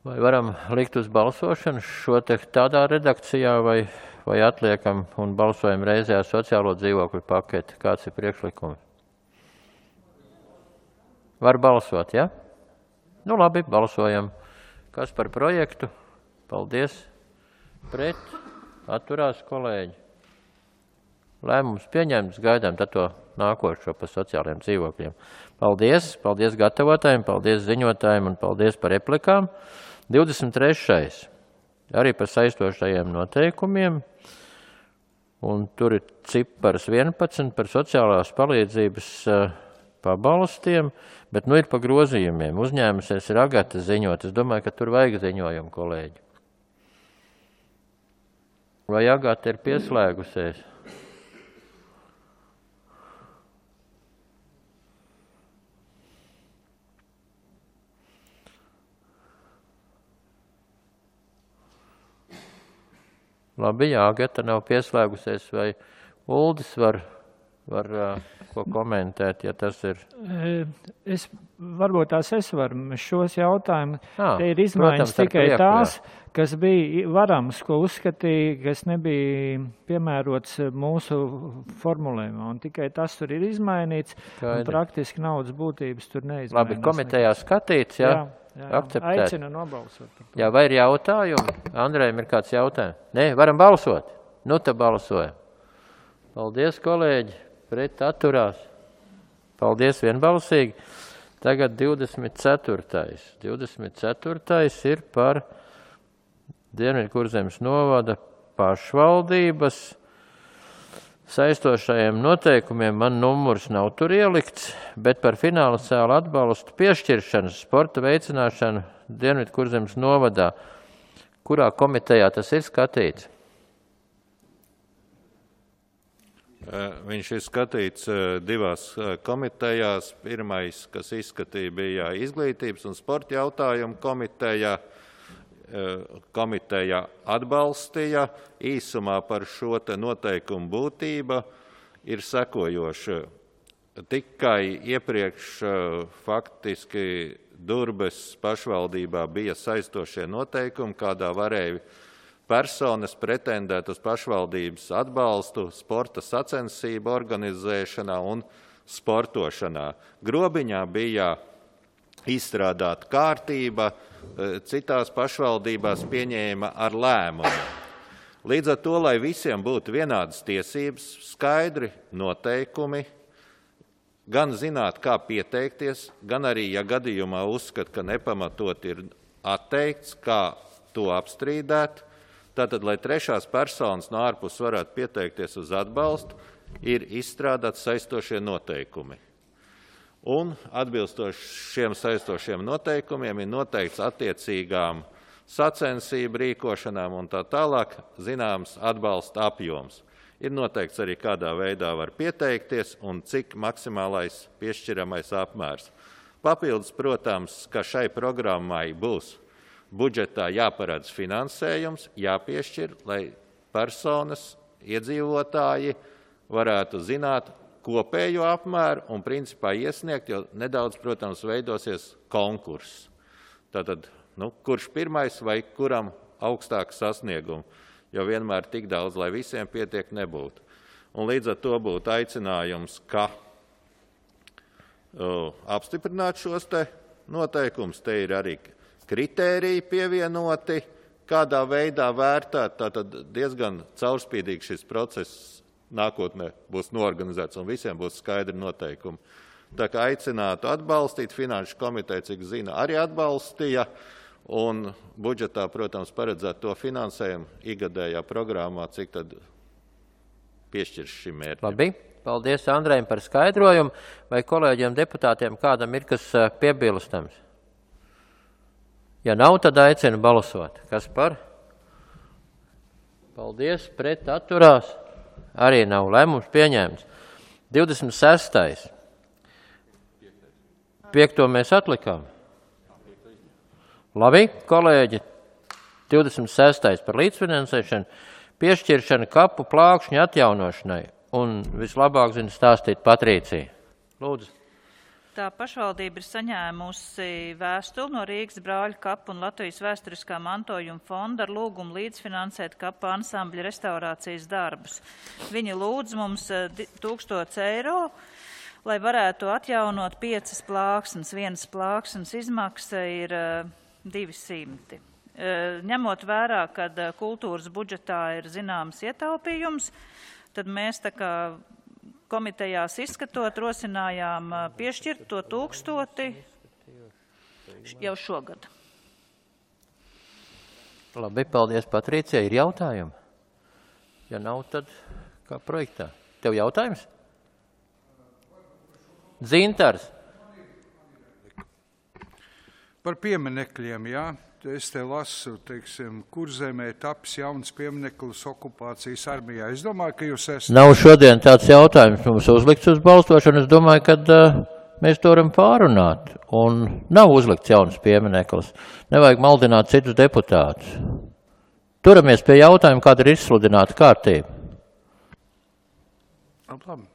vai varam likt uz balsošanu šo te tādā redakcijā vai atliekam un balsojam reizē ar sociālo dzīvokļu paketi? Kāds ir priekšlikums? Var balsot, ja? Nu labi, balsojam. Kas par projektu? Paldies. Pret? Atturās kolēģi. Lēmums pieņemts, gaidām tad to nākošo par sociālajiem dzīvokļiem. Paldies, paldies gatavotājiem, paldies ziņotājiem un paldies par replikām. 23. arī par saistošajiem noteikumiem. Un tur ir cipars 11 par sociālās palīdzības pabalstiem, bet nu ir pa grozījumiem. Uzņēmusies ir Agata ziņot. Es domāju, ka tur vajag ziņojumu, kolēģi. Vai Agata ir pieslēgusies? Labi, ja Agata nav pieslēgusies, vai Uldis var var ko komentēt, ja tas ir? Varbūt es varu šos jautājumus. Te ir izmaiņas protams, tikai prieku, tās, kas bija varams, ko uzskatīja, kas nebija piemērots mūsu formulējumā. Un tikai tas tur ir izmainīts, un praktiski naudas būtības tur neizmainās. Labi, komitejā skatīts, jā? Akceptēt. Aicinu nobalsot. Jā, vai ir jautājumi? Andrejam ir kāds jautājums? Nē, varam balsot? Nu, te balsojam. Paldies, kolēģi, pret atturās. Paldies vienbalsīgi. Tagad 24. 24. ir par Dienvidkurzemes novada pašvaldības saistošajiem noteikumiem. Man numurs nav tur ielikts, bet par finansiālu atbalstu piešķiršanu sporta veicināšanu Dienvidkurzemes novadā. Kurā komitejā tas ir skatīts? Viņš ir skatīts divās komitejās. Pirmais, kas izskatīja, bija izglītības un sporta jautājumu komiteja. Komiteja atbalstīja. Īsumā par šo te noteikumu būtība ir sekojoša. Tikai iepriekš faktiski Durbes pašvaldībā bija saistošie noteikumi, kādā varēja personas pretendēt uz pašvaldības atbalstu sporta sacensību organizēšanā un sportošanā. Grobiņā bija izstrādāta kārtība, citās pašvaldībās pieņēma ar lēmumu. Līdz ar to, lai visiem būtu vienādas tiesības, skaidri noteikumi, gan zināt, kā pieteikties, gan arī, ja gadījumā uzskat, ka nepamatot ir atteikts, kā to apstrīdēt. Tātad, lai trešās personas no ārpus varētu pieteikties uz atbalstu, ir izstrādāti saistošie noteikumi. Un atbilstoši šiem saistošiem noteikumiem ir noteikts attiecīgām sacensību rīkošanām un tā tālāk zināms atbalsta apjoms. Ir noteikts arī, kādā veidā var pieteikties un cik maksimālais piešķiramais apmērs. Papildus, protams, ka šai programmai būs budžetā jāparedz finansējums, jāpiešķir, lai personas, iedzīvotāji varētu zināt kopējo apmēru un principā iesniegt, jo nedaudz, protams, veidosies konkurss. Tātad, kurš pirmais vai kuram augstāk sasniegumu, jo vienmēr tik daudz, lai visiem pietiek, nebūtu. Un līdz ar to būtu aicinājums, ka apstiprināt šos te noteikumus, te ir arī kritēriji pievienoti, kādā veidā vērtēt, tātad diezgan caurspīdīgi šis process nākotnē būs norganizēts un visiem būs skaidri noteikumi. Tā kā aicinātu atbalstīt, Finanšu komiteja, cik zina, arī atbalstīja un budžetā, protams, paredzēt to finansējumu igadējā programmā, cik tad piešķirs šim mērķim. Labi, paldies Andrejam par skaidrojumu. Vai kolēģiem deputātiem kādam ir kas piebilstams? Ja nav, tad aicinu balsot. Kas par? Paldies, pret atturās. Arī nav lēmums pieņēmts. 26. 5. mēs atlikām. Labi, kolēģi, 26. par līdzfinansēšanu, piešķiršana kapu plākšņu atjaunošanai. Un vislabāk zina stāstīt Patrīcija. Lūdzu. Tā pašvaldība ir saņēmusi vēstuli no Rīgas brāļu kapu un Latvijas vēsturiskā mantojuma fonda ar lūgumu līdzfinansēt kapu ansambļa restaurācijas darbus. Viņi lūdz mums 1000 eiro, lai varētu atjaunot 5 plāksnes. Vienas plāksnes izmaksa ir 200. Ņemot vērā, kad kultūras budžetā ir zināms ietaupījums, tad mēs tā kā komitejās izskatot, rosinājām piešķirt to 1000 jau šogad. Labi, paldies, Patricija. Ir jautājumi? Ja nav, tad kā projektā? Tev jautājums? Dzintars. Par pieminekļiem, jā. Es te lasu, teiksim, Kurzemē taps jauns piemineklis okupācijas armijā. Es domāju, ka jūs esat... Nav šodien tāds jautājums mums uzlikts uz balstošanu. Es domāju, ka mēs to varam pārunāt. Un nav uzlikts jauns piemineklis. Nevajag maldināt citus deputātus. Turamies pie jautājuma, kāda ir izsludināta kārtība. Labi.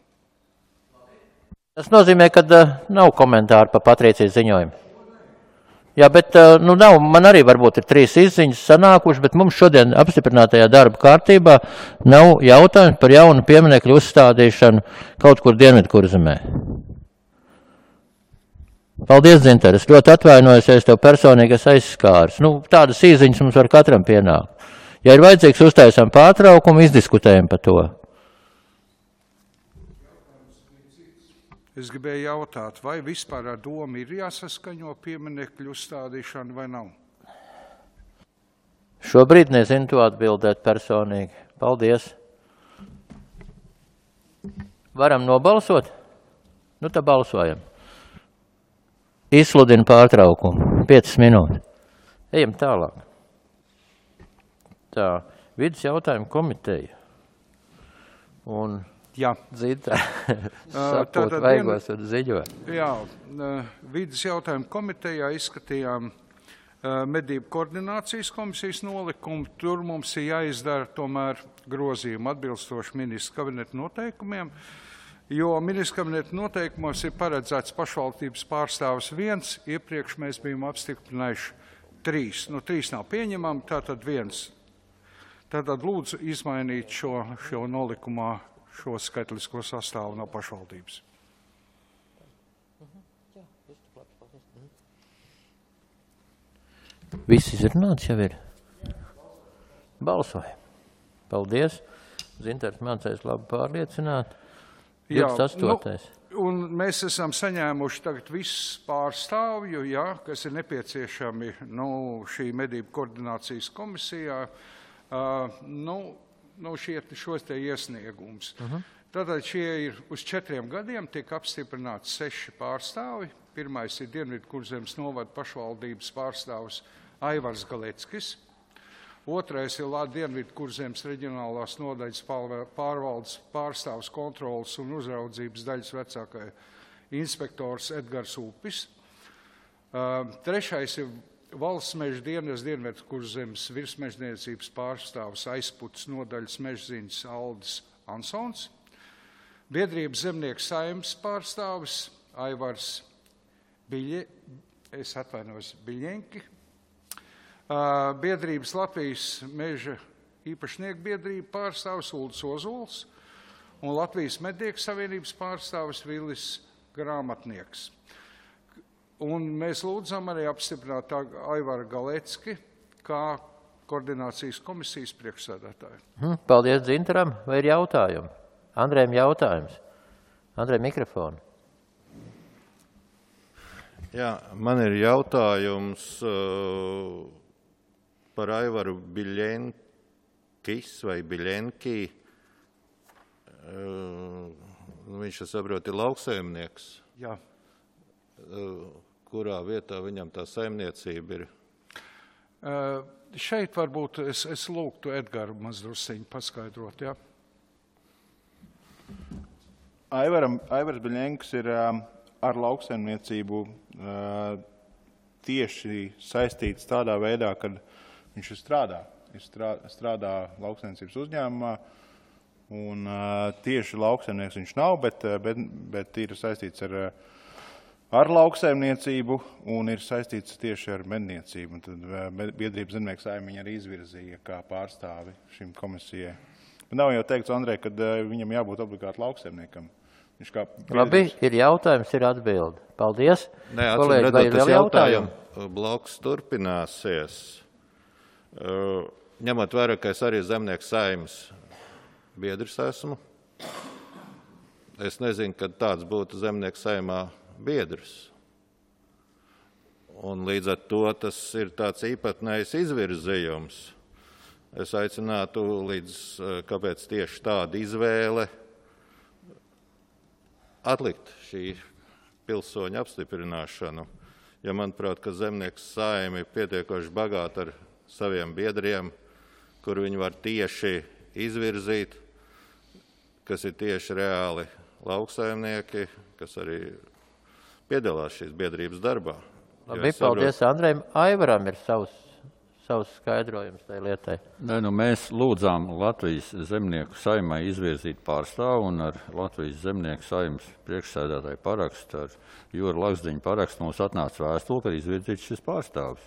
Tas nozīmē, ka nav komentāru par Patrīcijas ziņojumu. Jā, bet nav, man arī varbūt ir 3 izziņas sanākuši, bet mums šodien apstiprinātajā darba kārtībā nav jautājums par jaunu pieminekļu uzstādīšanu kaut kur Dienvidkurzemē. Paldies, Zinter, es ļoti atvainojos, ja es tev personīgi esmu aizskāris. Tādas izziņas mums var katram pienākt. Ja ir vajadzīgs, uztaisām pārtraukumu, izdiskutējam par to. Es gribēju jautāt, vai vispār ar domu ir jāsaskaņo pieminekļu uzstādīšana vai nav? Šobrīd nezinu to atbildēt personīgi. Paldies. Varam nobalsot? Tad balsojam. Izsludinu pārtraukumu. 5 minūtes. Ejam tālāk. Tā, vidus jautājumu komiteja. Un jā. Zita sapūt vaigos un ziņo. Jā, vidus jautājumu komitejā izskatījām medību koordinācijas komisijas nolikumu. Tur mums ir jāizdara tomēr grozījumi atbilstoši ministra kabineta noteikumiem, jo ministra kabineta noteikumos ir paredzēts pašvaldības pārstāvis 1, iepriekš mēs bijām apstiprinājuši 3. 3 nav pieņemami, tātad 1. Tātad lūdzu izmainīt šo nolikumā šo skaitlisko sastāvu no pašvaldības. Viss izrunāts jau ir. Balsojam. Paldies. Zintars mācējs labi pārliecināt. 28. Un mēs esam saņēmuši tagad visus pārstāvju, kas ir nepieciešami šī medību koordinācijas komisijā. Šos te iesniegums. Tātad šie ir uz 4 gadiem, tiek apstiprināti 6 pārstāvi. Pirmais ir Dienvidkurzemes novada pašvaldības pārstāvs Aivars Galeckis. Otrais ir Dienvidkurzemes reģionālās nodaļas pārvaldes pārstāvs kontrolas un uzraudzības daļas vecākai inspektors Edgars Upis. Trešais ir Valsts meža dienas Dienvidkurzemes virsmežniecības pārstāvs aizputs nodaļas mežziņas Aldis Ansons. Biedrības zemnieku saimnes pārstāvis Aivars Biļenki. Biedrības Latvijas meža īpašnieku biedrība pārstāvis Uldis Ozols un Latvijas mednieku savienības pārstāvis Vilis Grāmatnieks. Un mēs lūdzam arī apstiprināt Aivaru Galecki kā koordinācijas komisijas priekšsēdētāju. Paldies Dzintaram. Vai ir jautājumi? Andrejam jautājums. Andrej, mikrofonu. Jā, man ir jautājums par Aivaru Biļenkis vai Biļenki. Viņš, es saprotu, ir lauksaimnieks. Jā. Kurā vietā viņam tā saimniecība ir? Šeit varbūt es lūgtu Edgaru mazdrusiņu paskaidrot, jā. Aivars Biļenks ir ar lauksaimniecību tieši saistīts tādā veidā, kad viņš strādā. Viņš strādā lauksaimniecības uzņēmumā, un tieši lauksaimnieks viņš nav, bet ir saistīts ar lauksaimniecību un ir saistīts tieši ar medniecību. Un tad biedrības zemnieku saime viņa arī izvirzīja kā pārstāvi šim komisijai. Bet nav jau teikts, Andrej, ka viņam jābūt obligāti lauksaimniekam. Labi, ir jautājums, ir atbildi. Paldies. Nē, atcīm tas jautājumu bloks turpināsies. Ņemot vērā, ka es arī zemnieku saimes biedrs esmu. Es nezinu, kad tāds būtu zemnieku saimā biedrs. Un līdz ar to tas ir tāds īpatnējs izvirzījums. Es aicinātu kāpēc tieši tāda izvēle atlikt šī pilsoņa apstiprināšanu. Ja manuprāt, ka zemnieks saimi ir pietiekoši bagāti ar saviem biedriem, kur viņi var tieši izvirzīt, kas ir tieši reāli lauksaimnieki, kas arī piedalās šīs biedrības darbā. Labi, paldies Andrejam. Aivaram ir savus skaidrojumus tai lietai. Nē, nu mēs lūdzām Latvijas zemnieku saimai izvirzīt pārstāvu un ar Latvijas zemnieku saimas priekšsēdētāju parakstu, ar Jūra Lakzdiņa parakstu mums atnāca vēstule, ka izvirzīts šis pārstāvis.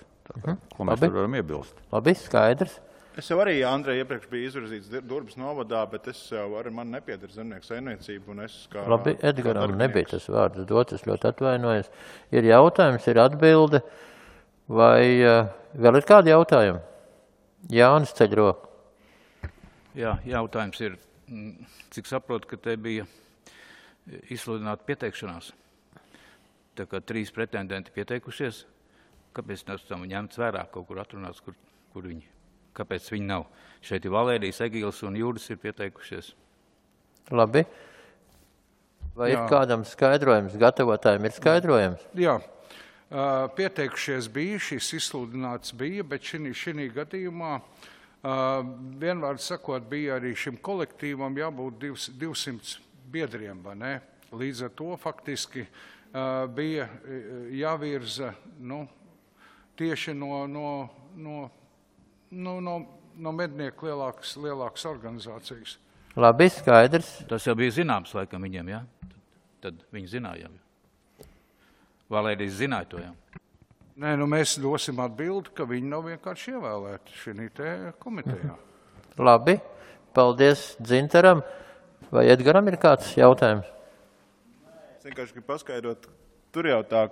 Ko mēs tur varam iebilst? Labi, skaidrs. Es jau arī, Andrej, iepriekš biju izvirzīts Durbas novadā, bet es jau arī man nepiedara zemnieku saimniecību. Un es kā Labi, Edgaram nebija tas vārds dots, es ļoti atvainojos. Ir jautājums, ir atbilde, vai vēl ir kādi jautājumi? Jānis ceļ roku. Jā, jautājums ir, cik saprotu, ka te bija izsludināta pieteikšanās. Tā kā 3 pretendenti pieteikušies, kāpēc tas tam ņemts vērā, kaut kur atrunāts, kur viņi? Kāpēc viņi nav? Šeit ir Valērijas, Egīls un Jūris ir pieteikušies. Labi. Vai ir kādam skaidrojums? Gatavotājiem ir skaidrojums? Jā. Pieteikušies bija, šis izsludināts bija, bet šī gadījumā vienvārds sakot bija arī šim kolektīvam jābūt 200 biedriem, vai ne? Līdz ar to faktiski bija jāvirza tieši no mednieku lielākas organizācijas. Labi, skaidrs. Tas jau bija zināms laikam viņiem, jā? Tad viņi zināja. Valērijas zināja to, jā? Nē, mēs dosim atbildi, ka viņi nav vienkārši ievēlēti šī te komitejā. Labi, paldies Dzintaram. Vai Edgaram ir kāds jautājums? Es vienkārši gribu paskaidrot, tur jau tā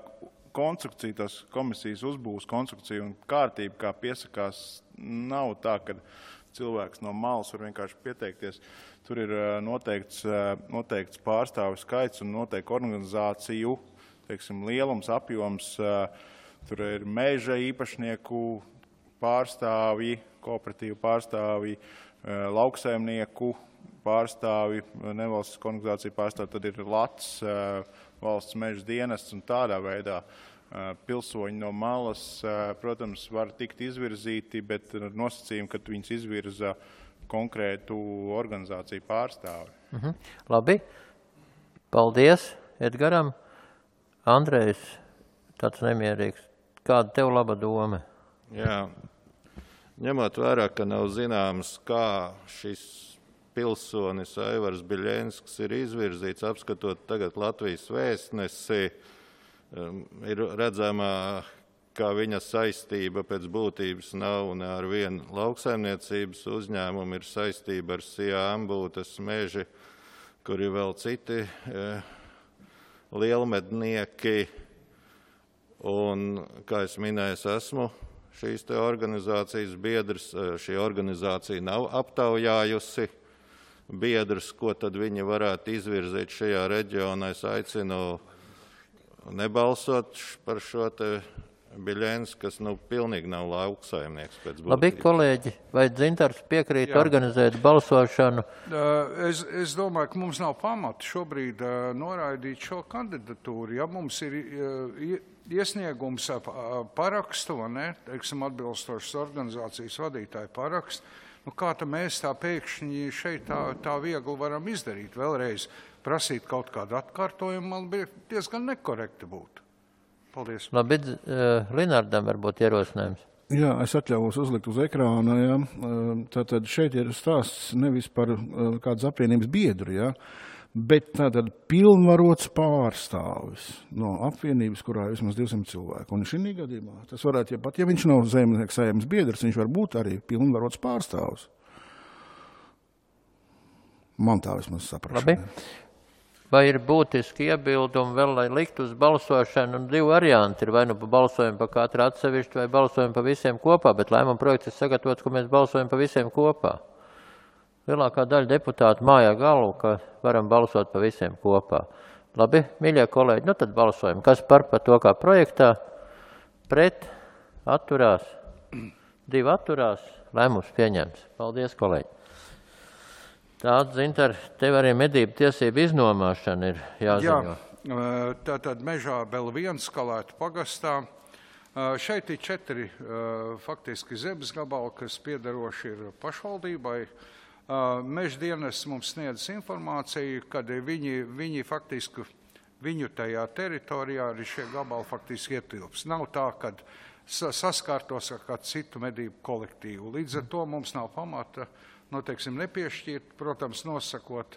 konstrukcija, tas komisijas uzbūves konstrukcija un kārtība, kā piesakās, nav tā, ka cilvēks no malas var vienkārši pieteikties. Tur ir noteikts pārstāvju skaits un noteikti organizāciju, teiksim, lielums, apjoms. Tur ir meža īpašnieku pārstāvji, kooperatīvu pārstāvji, lauksaimnieku pārstāvji, nevalstisku organizāciju pārstāvji, tad ir LATS, valsts meža dienests un tādā veidā pilsoņi no malas, protams, var tikt izvirzīti, bet ar nosacījumu, ka viņus izvirza konkrētu organizāciju pārstāvi. Labi. Paldies Edgaram. Andrejs, tāds nemierīgs. Kāda tev laba doma? Jā. Ņemot vērā, ka nav zināms, kā šis pilsonis Aivars Biļenskis ir izvirzīts, apskatot tagad Latvijas vēstnesi, ir redzamā, ka viņa saistība pēc būtības nav ne ar vienu lauksaimniecības uzņēmumu, ir saistība ar Sijā Ambūtes meži, kur ir vēl citi lielmednieki. Un, kā es minēju, es esmu šīs te organizācijas biedrs. Šī organizācija nav aptaujājusi biedrus, ko tad viņi varētu izvirzīt šajā reģionā. Es aicinu nebalsot par šo te Biļenskis, kas pilnīgi nav lauksaimnieks pēc būtības. Labi, kolēģi, vai Dzintars piekrīt organizēt balsošanu? Es domāju, ka mums nav pamata šobrīd noraidīt šo kandidatūru. Ja mums ir iesniegums parakstu, teiksim, atbilstošas organizācijas vadītāju parakstu, kā tad mēs tā pēkšņi šeit tā viegli varam izdarīt? Vēlreiz prasīt kaut kādu atkārtojumu, man bija diezgan nekorekti būt. Paldies. Labi, Linardam varbūt ierosinājums. Jā, es atļauvos uzlikt uz ekrāna. Jā. Tātad šeit ir stāsts nevis par kādas apvienības biedru, jā, bet tātad pilnvarots pārstāvis no apvienības, kurā ir vismaz 200 cilvēku. Un šī gadījumā tas varētu, ja viņš nav zemnieku saimnes biedrs, viņš var būt arī pilnvarots pārstāvis. Man tā vismaz saprašanai. Labi. Vai ir būtiski iebildumi vēl, lai likt uz balsošanu, un 2 varianti ir vai nu balsojam pa katru atsevišķu, vai balsojam pa visiem kopā, bet lēmuma projekts ir sagatavots, ka mēs balsojam pa visiem kopā. Lielākā daļa deputātu mājā galvu, ka varam balsot pa visiem kopā. Labi, mīļie kolēģi, tad balsojam. Kas par to kā projektā? Pret, atturās, 2 atturās, lēmums pieņemts. Paldies, kolēģi. Tāda, Dzintar, tev arī medību tiesību iznomāšana ir jāziņo. Jā, tātad mežā Belviena Skalētu pagastā. Šeit ir 4 faktiski zemes gabali, kas piederoši ir pašvaldībai. Meža dienests mums sniedz informāciju, kad viņi faktiski viņu tajā teritorijā arī šie gabali faktiski ietilps. Nav tā, ka saskārtos ar kādu citu medību kolektīvu. Līdz ar to mums nav pamata, teiksim, nepiešķirt, protams, nosakot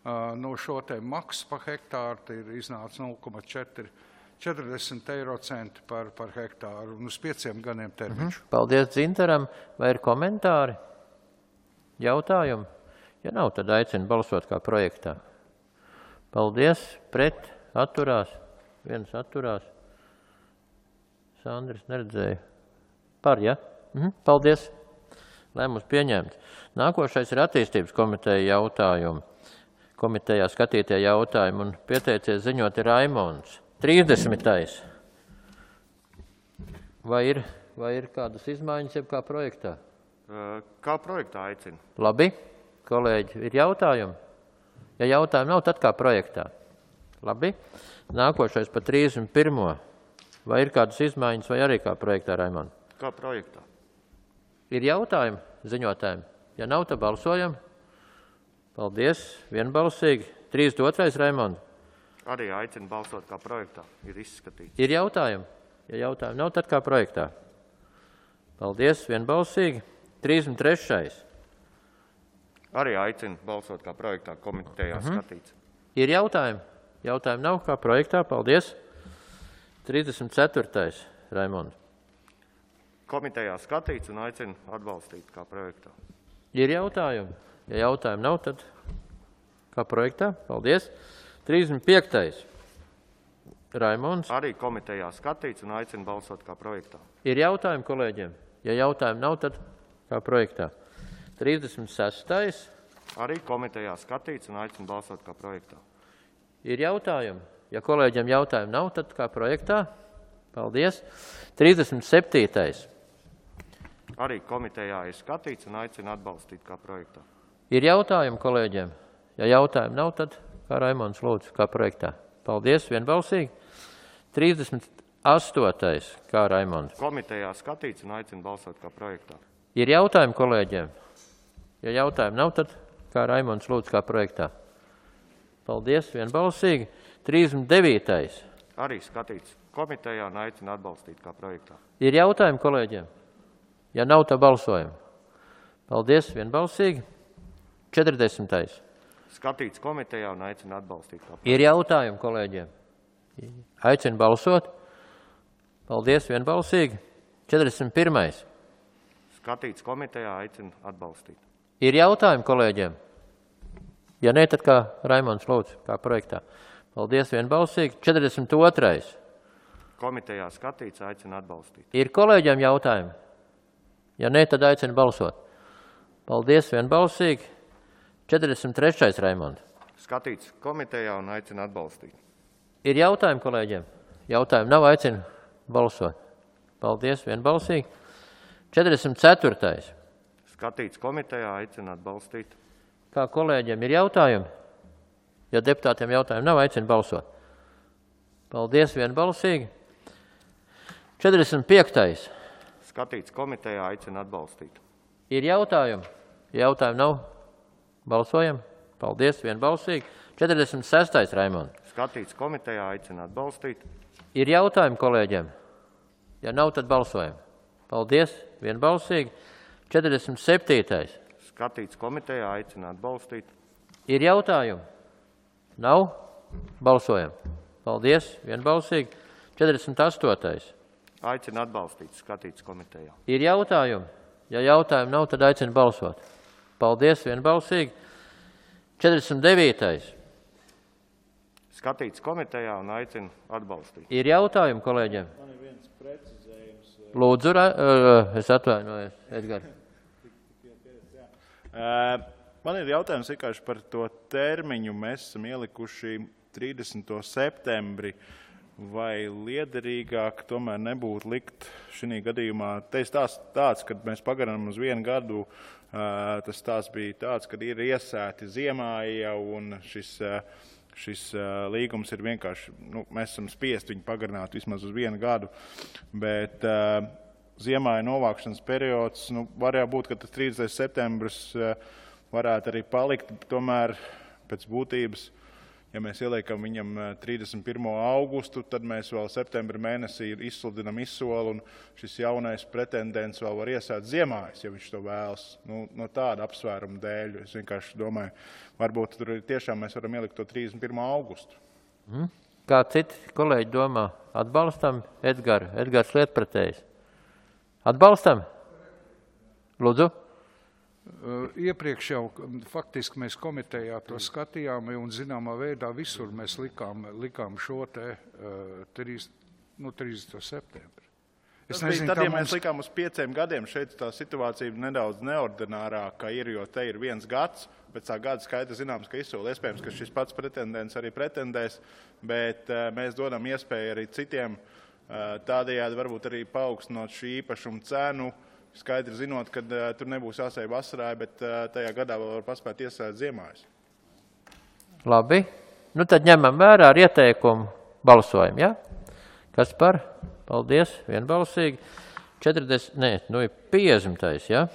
šo te maksu par hektāru, ir iznāca 0,40 eiro centi par hektāru un uz 5 gadiem termiņš. Paldies Dzintaram. Vai ir komentāri? Jautājumi? Ja nav, tad aicinu balsot kā projektā. Paldies. Pret. Atturās. Viens atturās. Sandris neredzēja. Par, ja? Paldies. Lēmums pieņemts. Nākošais ir attīstības komiteja jautājumi. Komitejā skatītie jautājumi un pieteicies ziņot ir Raimonds. 30. Vai ir kādas izmaiņas jeb kā projektā? Kā projektā aicina. Labi. Kolēģi, ir jautājumi? Ja jautājumi nav, tad kā projektā. Labi. Nākošais pa 31. Vai ir kādas izmaiņas vai arī kā projektā, Raimond? Kā projektā. Ir jautājumi ziņotājiem? Ja nav, tad balsojam. Paldies. Vienbalsīgi. 32. Raimond. Arī aicina balsot kā projektā. Ir izskatīts. Ir jautājumi? Ja jautājumi nav, tad kā projektā. Paldies. Vienbalsīgi. 33. Arī aicina balsot kā projektā. Komitejā skatīts. Ir jautājumi? Jautājumi nav kā projektā. Paldies. 34. Raimond. Komitejā skatīts un aicina atbalstīt kā projektā. Ir jautājumi? Ja jautājumi nav, tad kā projektā. Paldies. 35. Raimonds. Arī komitejā skatīts un aicina balsot kā projektā. Ir jautājumi kolēģiem? Ja jautājumi nav, tad kā projektā. 36. Arī komitejā skatīts un aicina balsot kā projektā. Ir jautājumi? Ja kolēģiem jautājumi nav, tad kā projektā. Paldies. 37. Arī komitejā ir skatīts un aicina atbalstīt kā projektā. Ir jautājumi kolēģiem? Ja jautājumi nav, tad kā Raimonds lūdzu, kā projektā. Paldies. Vienbalsīgi. 38. Kā Raimonds. Komitejā skatīts un aicina balsot kā projektā. Ir jautājumi kolēģiem? Ja jautājumi nav, tad kā Raimonds lūdzu, kā projektā. Paldies. Vienbalsīgi. 39. Arī skatīts komitejā un aicina atbalstīt kā projektā. Ir jautājumi kolēģiem? Ja nav, tad balsojam. Paldies. Vienbalsīgi. 40. Skatīts komitejā un aicina atbalstīt kā projektā. Ir jautājumi kolēģiem? Aicinu balsot. Paldies. Vienbalsīgi. 41. Skatīts komitejā, aicina atbalstīt. Ir jautājumi kolēģiem? Ja ne, tad kā Raimonds lūdzu, kā projektā. Paldies. Vienbalsīgi. 42. Komitejā skatīts, aicina atbalstīt. Ir kolēģiem jautājumi? Ja ne, tad aicinu balsot. Paldies. Vienbalsīgi. 43. Raimond. Skatīts komitejā un aicina atbalstīt. Ir jautājumi kolēģiem? Jautājumi nav, aicinu balsot. Paldies. Vienbalsīgi. 44. Skatīts komitejā, aicina atbalstīt. Kā kolēģiem ir jautājumi? Ja deputātiem jautājumi nav, aicinu balsot. Paldies. Vienbalsīgi. 45. Skatīts komitejā, aicina atbalstīt. Ir jautājumi? Ja jautājumi nav, balsojam. Paldies. Vienbalsīgi. 46. Raimond. Skatīts komitejā, aicina atbalstīt. Ir jautājumi kolēģiem? Ja nav, tad balsojam. Paldies. Vienbalsīgi. 47. Skatīts komitejā, aicina atbalstīt. Ir jautājumi? Nav? Balsojam. Paldies. Vienbalsīgi. 48. Aicina atbalstīt. Skatīts komitejā. Ir jautājumi? Ja jautājumi nav, tad aicina balsot. Paldies. Vienbalsīgi. 49. Skatīts komitejā un aicina atbalstīt. Ir jautājumi kolēģiem? Man ir viens precizējums. Lūdzu, es atvainojos, Edgars. Man ir jautājums vienkārši par to termiņu. Mēs esam ielikuši 30. septembri. Vai liederīgāk tomēr nebūtu likt šī gadījumā? Te stāsts tāds, kad mēs pagarinām uz 1 gadu, tas stāsts bija tāds, kad ir iesēti ziemā jau un šis līgums ir vienkārši, mēs esam spiest viņu pagarināt vismaz uz 1 gadu, bet ziemā ir novākšanas periods, var jau būt, ka tas 30. septembris varētu arī palikt, tomēr pēc būtības, Ja mēs ieliekam viņam 31. augustu, tad mēs vēl septembra mēnesī izsludinam izsoli, un šis jaunais pretendents vēl var iesēt ziemājas, ja viņš to vēlas. No tāda apsvēruma dēļ. Es vienkārši domāju, varbūt tur tiešām mēs varam ielikt to 31. augustu. Kā citi kolēģi domā? Atbalstam Edgaru? Edgars lietpratējs. Atbalstam? Lūdzu. Iepriekš jau faktiski mēs komitejā to skatījām, un zināmā veidā visur mēs likām šo te 30. septembri. Tad, ja mēs likām uz 5 gadiem, šeit tā situācija nedaudz neordinārāka ir, jo te ir 1 gads, pēc tā gada skaita zināms, ka izsoli iespējams, ka šis pats pretendents arī pretendēs, bet mēs dodam iespēju arī citiem tādējādi varbūt arī paaugstinot šī īpašuma cenu, skaidri zinot, ka tur nebūs jāsēja vasarā, bet tajā gadā vēl var paspēt iesēt ziemājas. Labi. Tad ņemam vērā ar ieteikumu balsojumu, ja? Kas par? Paldies, vienbalsīgi. 50. Ja?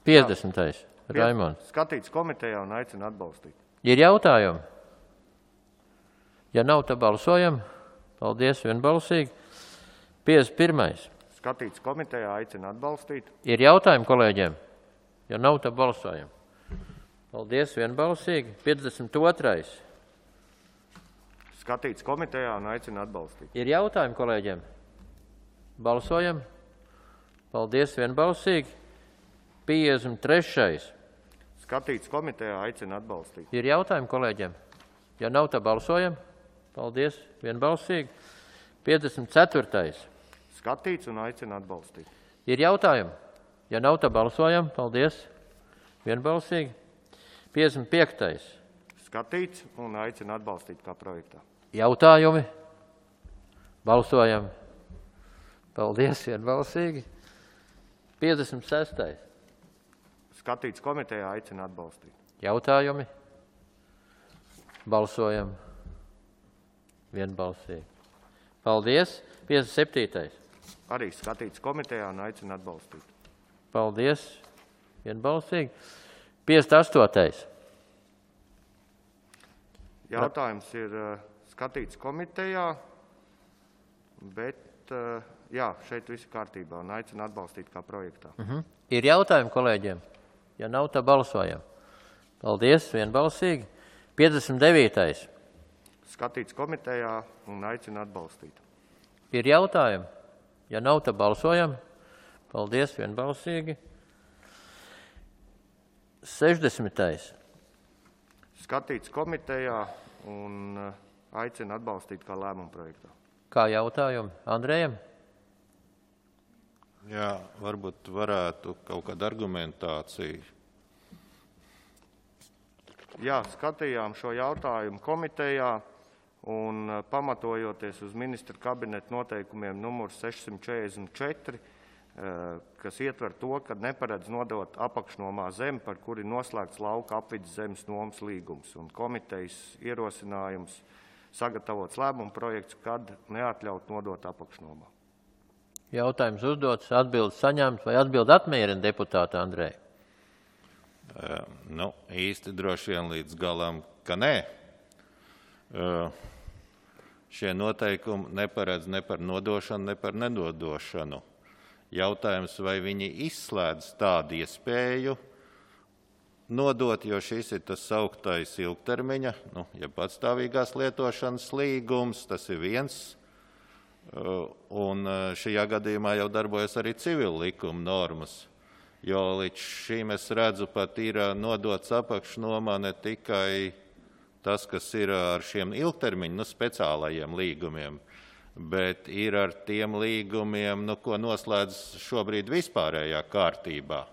50. Raimonds. Skatīts komitejā un aicina atbalstīt. Ir jautājumi? Ja nav, tad balsojam. Paldies, vienbalsīgi. 51. Skatīts komitejā, aicina atbalstīt. Ir jautājumi kolēģiem? Ja nav, tad balsojam. Paldies, vienbalsīgi. 52. Skatīts komitejā un aicina atbalstīt. Ir jautājumi kolēģiem? Balsojam. Paldies, vienbalsīgi. 53. Skatīts komitejā, aicina atbalstīt. Ir jautājumi kolēģiem? Ja nav, tad balsojam. Paldies, vienbalsīgi. 54. Skatīts un aicina atbalstīt. Ir jautājumi? Ja nav, tad balsojam. Paldies. Vienbalsīgi. 55. Skatīts un aicina atbalstīt kā projektā. Jautājumi? Balsojam. Paldies. Vienbalsīgi. 56. Skatīts komitejā, aicina atbalstīt. Jautājumi? Balsojam. Vienbalsīgi. Paldies. 57. Arī skatīts komitejā un aicina atbalstīt. Paldies. Vienbalsīgi. 58. Jautājums ir skatīts komitejā, bet jā, šeit viss kārtībā un aicina atbalstīt kā projektā. Ir jautājumi kolēģiem? Ja nav, tad balsojam. Paldies. Vienbalsīgi. 59. Skatīts komitejā un aicina atbalstīt. Ir jautājumi? Ja nav, tad balsojam. Paldies, vienbalsīgi. 60. Skatīts komitejā un aicina atbalstīt kā lēmumu projektā. Kā jautājumi? Andrejam? Jā, varbūt varētu kaut kāda argumentācija. Jā, skatījām šo jautājumu komitejā un pamatojoties uz ministra kabineta noteikumiem numurs 644, kas ietver to, ka neparedz nodot apakšnomā zemi, par kuri noslēgts lauka apvides zemes nomas līgums, un komitejas ierosinājums sagatavots lēmumu projekts, kad neatļaut nodot apakšnomā. Jautājums uzdots, atbildes saņemts vai atbildi apmierina deputāta Andreja? Īsti droši vien līdz galam, ka nē. Šie noteikumi neparedz ne par nodošanu, ne par nedodošanu. Jautājums, vai viņi izslēdz tādu iespēju nodot, jo šis ir tas sauktais ilgtermiņa, ja patstāvīgās lietošanas līgums, tas ir viens, un šajā gadījumā jau darbojas arī civil likuma normas. Jo līdz šim es redzu, pat ir nodots apakšnomā ne tikai tas, kas ir ar šiem ilgtermiņu, speciālajiem līgumiem, bet ir ar tiem līgumiem, ko noslēdz šobrīd vispārējā kārtībā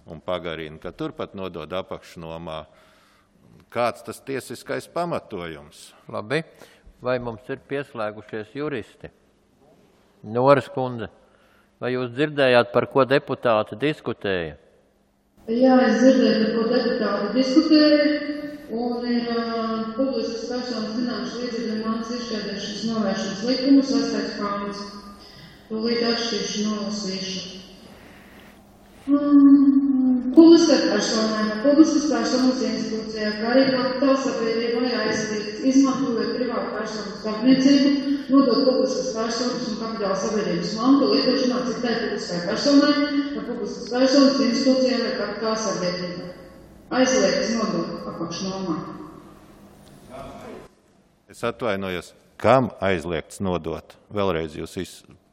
un pagarina, ka turpat nodod apakšnomā. Kāds tas tiesiskais pamatojums? Labi. Vai mums ir pieslēgušies juristi? Noras kundze. Vai jūs dzirdējāt, par ko deputāti diskutēja? Jā, es dzirdēju, par ko deputāti diskutēja, un ir publiskas personas zināmas līdzekļu mantas izšķērdēšanas novēršanas likumu 6. pāns. Tūlīt atšķiršu nolasīšu. publiskai personai vai publiskas personas institūcijā, kā arī kapitāla sabiedrībai aizliegts, izmantojot privātu personu starpniecību, nodot publiskas personas un kapitāla sabiedrības mantu lietošanā citai publiskai personai vai publiskas personas institūcijā vai kapitāla sabiedrībai. Aizliegts nodot apakšnomā. Es atvainojos, kam aizliegts nodot? Vēlreiz jūs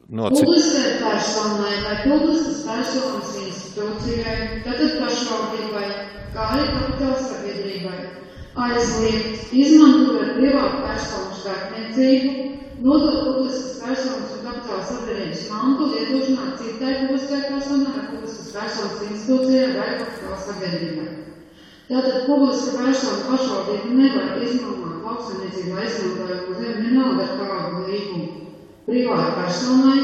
Publiskai personai vai publiskas personas institūcijai, tātad pašvaldībai, kā arī kapitāla sabiedrībai, aizliegt, izmantojot privātu personu starpniecību, nodot publiskas personas un kapitāla sabiedrības mantu lietošanā citai publiskai personai vai publiskas personas institūcijai vai kapitāla sabiedrībai. Tātad publiska persona pašvaldība nevar izmantot lauksaimniecībā izmantojumu zemi vienalga ar kādu līgumu. Privāta personai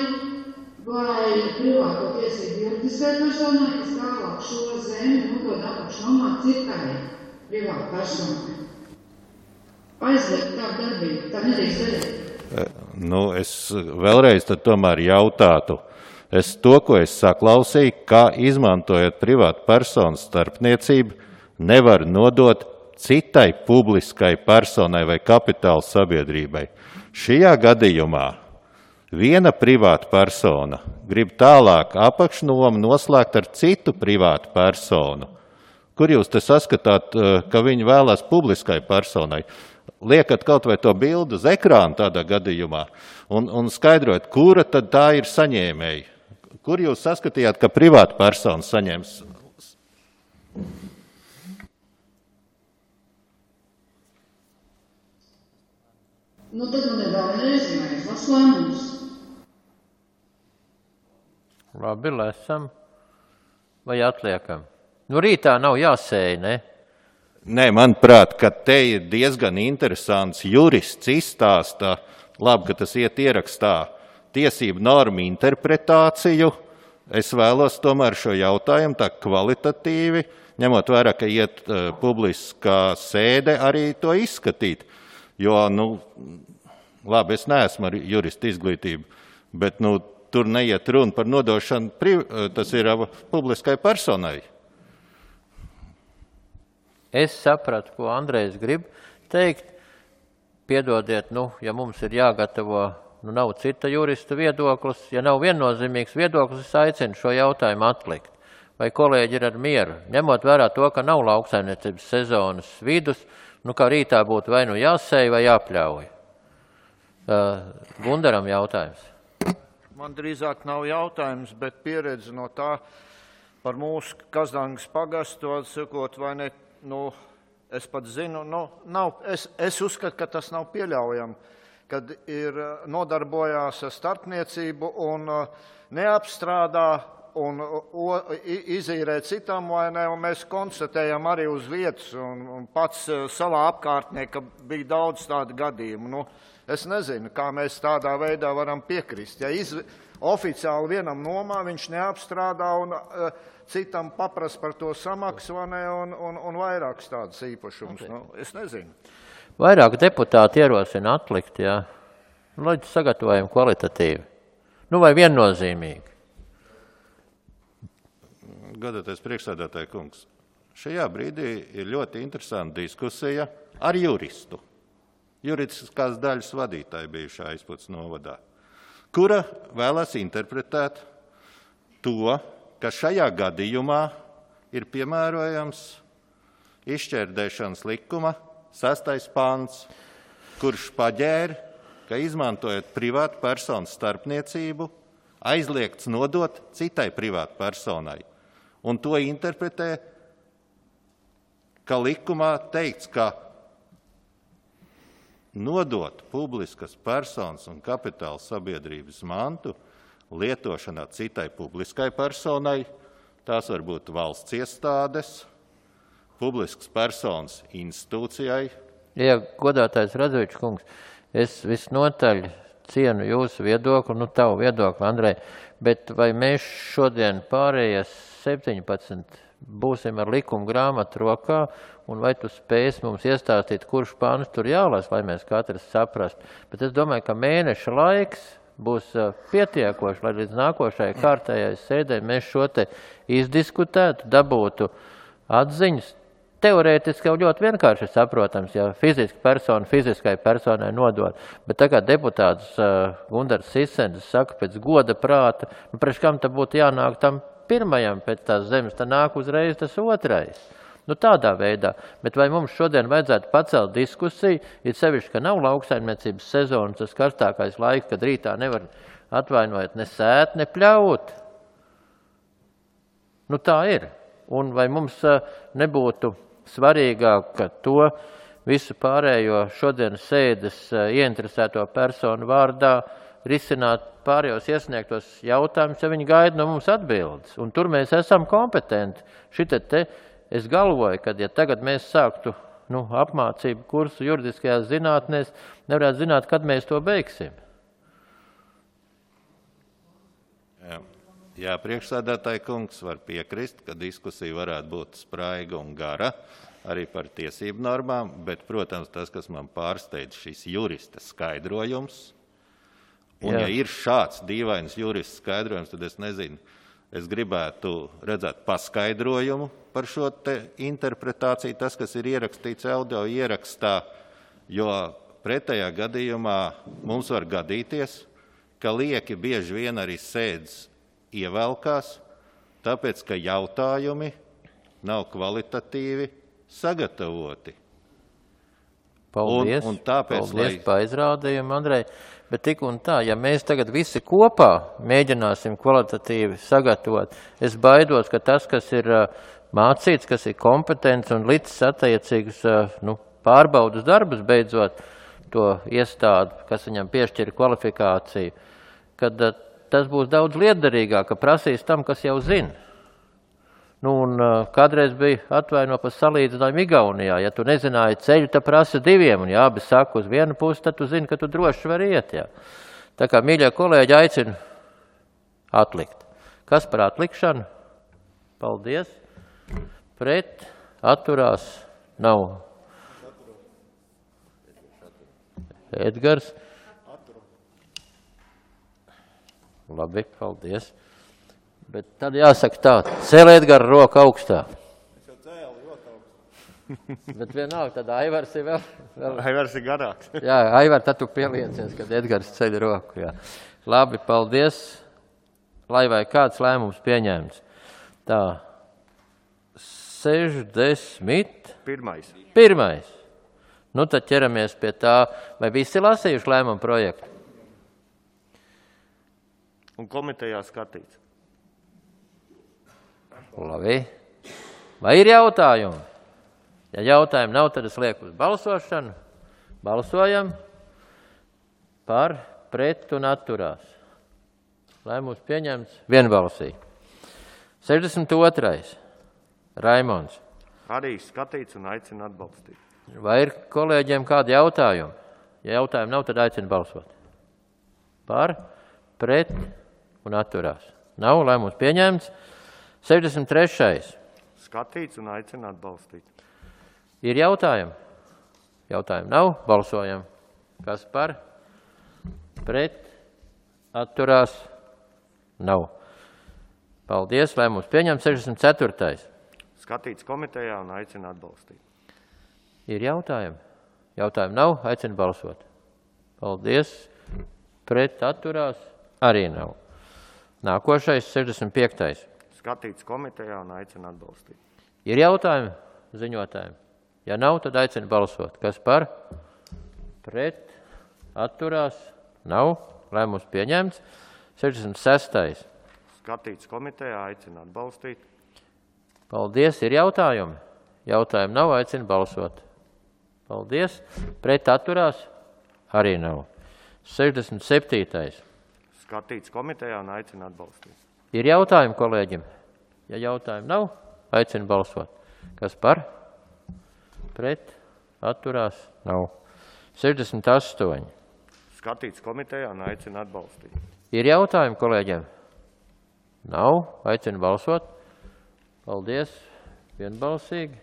vai privāto tiesību juridiskai personai, kas tālāk šo zemi nodod apakšnomā citai privāta personai. Aizliegt tādu darbību, tā nedrīkst darīt. Es vēlreiz tad tomēr jautātu. Ko es saklausīju, kā izmantojot privātu personu starpniecību, nevar nodot citai publiskai personai vai kapitāla sabiedrībai. Šajā gadījumā viena privāta persona grib tālāk apakšnomu noslēgt ar citu privātu personu. Kur jūs te saskatāt, ka viņi vēlās publiskai personai? Liekat kaut vai to bildu uz ekrānu tādā gadījumā un skaidrojat, kura tad tā ir saņēmēja. Kur jūs saskatījāt, ka privāta persona saņems? Tad man ir vēl neizmējas, las lēmums. Labi, lesam. Vai atliekam? Rītā nav jāsēja, ne? Nē, manuprāt, ka te ir diezgan interesants jurists izstāsta, labi, ka tas iet ierakstā, tiesību normu interpretāciju. Es vēlos tomēr šo jautājumu tā kvalitatīvi, ņemot vērā, ka iet publiskā sēde, arī to izskatīt. Jo, labi, es neesmu ar juristu izglītību, bet, tur neiet runa par nodošanu, tas ir publiskai personai. Es sapratu, ko Andrejs grib teikt. Piedodiet, ja mums ir jāgatavo, nav cita jurista viedoklis, ja nav viennozīmīgs viedoklis, es aicinu šo jautājumu atlikt. Vai kolēģi ir ar mieru? Ņemot vērā to, ka nav lauksaimniecības sezonas vidus, kā rītā būtu vai jāsēj vai jāpļauj. Gundaram jautājums. Man drīzāk nav jautājums, bet pieredze no tā par mūsu Kazdangas pagastu, sakot, vai ne, es pat zinu, es uzskatu, ka tas nav pieļaujami, kad ir nodarbojās ar starpniecību un neapstrādā un izīrē citam, vai ne, un mēs konstatējam arī uz vietas, un pats savā apkārtnē, ka bija daudz tādu gadījumu. Es nezinu, kā mēs tādā veidā varam piekrist. Ja oficiāli vienam nomā viņš neapstrādā un citam paprast par to samaksu, vai ne, un vairākas tādas īpašums. Es nezinu. Vairāk deputāti ierosina atlikt, jā. Lai sagatavojam kvalitatīvi. Vai viennozīmīgi. Godātais priekšsēdētāja kungs, šajā brīdī ir ļoti interesanta diskusija ar juristu. Juridiskās daļas vadītāja bijušā Aizputs novadā, kura vēlas interpretēt to, ka šajā gadījumā ir piemērojams izšķērdēšanas likuma 6. pants, kurš paģēra, ka izmantojot privātu personu starpniecību, aizliegts nodot citai privātu personai. Un to interpretē, ka likumā teikts, ka nodot publiskas personas un kapitāla sabiedrības mantu lietošanā citai publiskai personai, tās var būt valsts iestādes, publiskas personas institūcijai. Ja, godātais Radzevičs kungs, es visnotaļ cienu jūsu viedokli, tavu viedokli, Andrej, bet vai mēs šodien pārējais 17 būsim ar likuma grāmatu rokā, un vai tu spēsi mums iestāstīt, kurš pāns tur jālas, lai mēs katrs saprast. Bet es domāju, ka mēneša laiks būs pietiekoši, lai līdz nākošajai kārtējai sēdē mēs šo te izdiskutētu, dabūtu atziņas. Teorētiski jau ļoti vienkārši saprotams, ja fiziskai personai nodod, bet tagad deputāts Gundars Sisendis saka pēc goda prāta, priekš kam tad būtu jānāk tam pirmajam pēc tās zemes, tad nāk uzreiz tas otrais. Tādā veidā, bet vai mums šodien vajadzētu pacelt diskusiju, ir sevišķi, ka nav lauksaimniecības sezonas, tas karstākais laiks, kad rītā nevar atvainojot ne sēt, ne pļaut. Tā ir. Un vai mums nebūtu svarīgāk, ka to visu pārējo šodienas sēdes ieinteresēto personu vārdā risināt pārējos iesniegtos jautājumus, ja viņi gaida no mums atbildes. Un tur mēs esam kompetenti. Es galvoju, ka ja tagad mēs sāktu apmācību kursu juridiskajās zinātnēs, nevarētu zināt, kad mēs to beigsim. Jā, priekšsēdētāji kungs var piekrist, ka diskusija varētu būt spraiga un gara arī par tiesību normām, bet, protams, tas, kas man pārsteidz, šis jurista skaidrojums, un ja ir šāds dīvains jurista skaidrojums, tad es nezinu, es gribētu redzēt paskaidrojumu par šo te interpretāciju, tas, kas ir ierakstīts audio ierakstā, jo pretējā gadījumā mums var gadīties, ka lieki bieži vien arī sēdes ievelkās, tāpēc, ka jautājumi nav kvalitatīvi sagatavoti. Paldies, un tāpēc, paldies par izrādījumu, Andrej. Bet tik un tā, ja mēs tagad visi kopā mēģināsim kvalitatīvi sagatavot, es baidos, ka tas, kas ir mācīts, kas ir kompetents un līdz attiecīgs pārbaudas darbus beidzot to iestādi, kas viņam piešķir kvalifikāciju, kad tas būs daudz lietderīgāk, ka prasīs tam, kas jau zina. Un kādreiz bija atvaino par salīdzinājumu Igaunijā. Ja tu nezināji ceļu, tad prasa diviem, un ja abi saka uz vienu pusi, tad tu zini, ka tu droši vari iet. Jā. Tā kā, mīļie kolēģi, aicinu atlikt. Kas par atlikšanu? Paldies. Pret, atturās, nav. Edgars. Labi, paldies. Bet tad jāsaka tā, celiet gar roku augstā. Es jau cēlu ļoti augstu. Bet vienalga, tad Aivars ir vēl... Aivars ir garāks. Jā, Aivar, tad tu pieliecies, kad Edgars ceļ roku. Jā. Labi, paldies. Lai vai kāds lēmums pieņēmts. Tā, 60. Pirmais. Tad ķeramies pie tā, vai visi lasījuši lēmumu projektu? Un komitejā skatīts. Labi. Vai ir jautājumi? Ja jautājumi nav, tad es lieku uz balsošanu. Balsojam par, pret un atturās. Lēmums pieņemts vienbalsīgi. 62. Raimonds. Arī skatīts un aicina atbalstīt. Vai ir kolēģiem kādi jautājumi? Ja jautājumi nav, tad aicina balsot. Par, pret un atturās. Nav, lēmums pieņemts. 63. Skatīts un aicina atbalstīt. Ir jautājumi? Jautājumi nav, balsojam. Kas par? Pret, atturās, nav. Paldies, lēmums pieņemts. 64. Skatīts komitejā un aicina atbalstīt. Ir jautājumi? Jautājumi nav, aicina balsot. Paldies, pret, atturās, arī nav. Nākošais, 65. Skatīts komitejā un aicina atbalstīt. Ir jautājumi ziņotājiem? Ja nav, tad aicina balsot. Kas par? Pret, atturās, nav. Lēmums pieņemts. 66. Skatīts komitejā, aicina atbalstīt. Paldies. Ir jautājumi? Jautājumi nav, aicina balsot. Paldies. Pret, atturās, arī nav. 67. Skatīts komitejā un aicina atbalstīt. Ir jautājumi kolēģim? Ja jautājumi nav, aicina balsot. Kas par? Pret, atturās, nav. 68. Skatīts komitejā un aicina atbalstīt. Ir jautājumi kolēģiem? Nav, aicina balsot. Paldies, vienbalsīgi.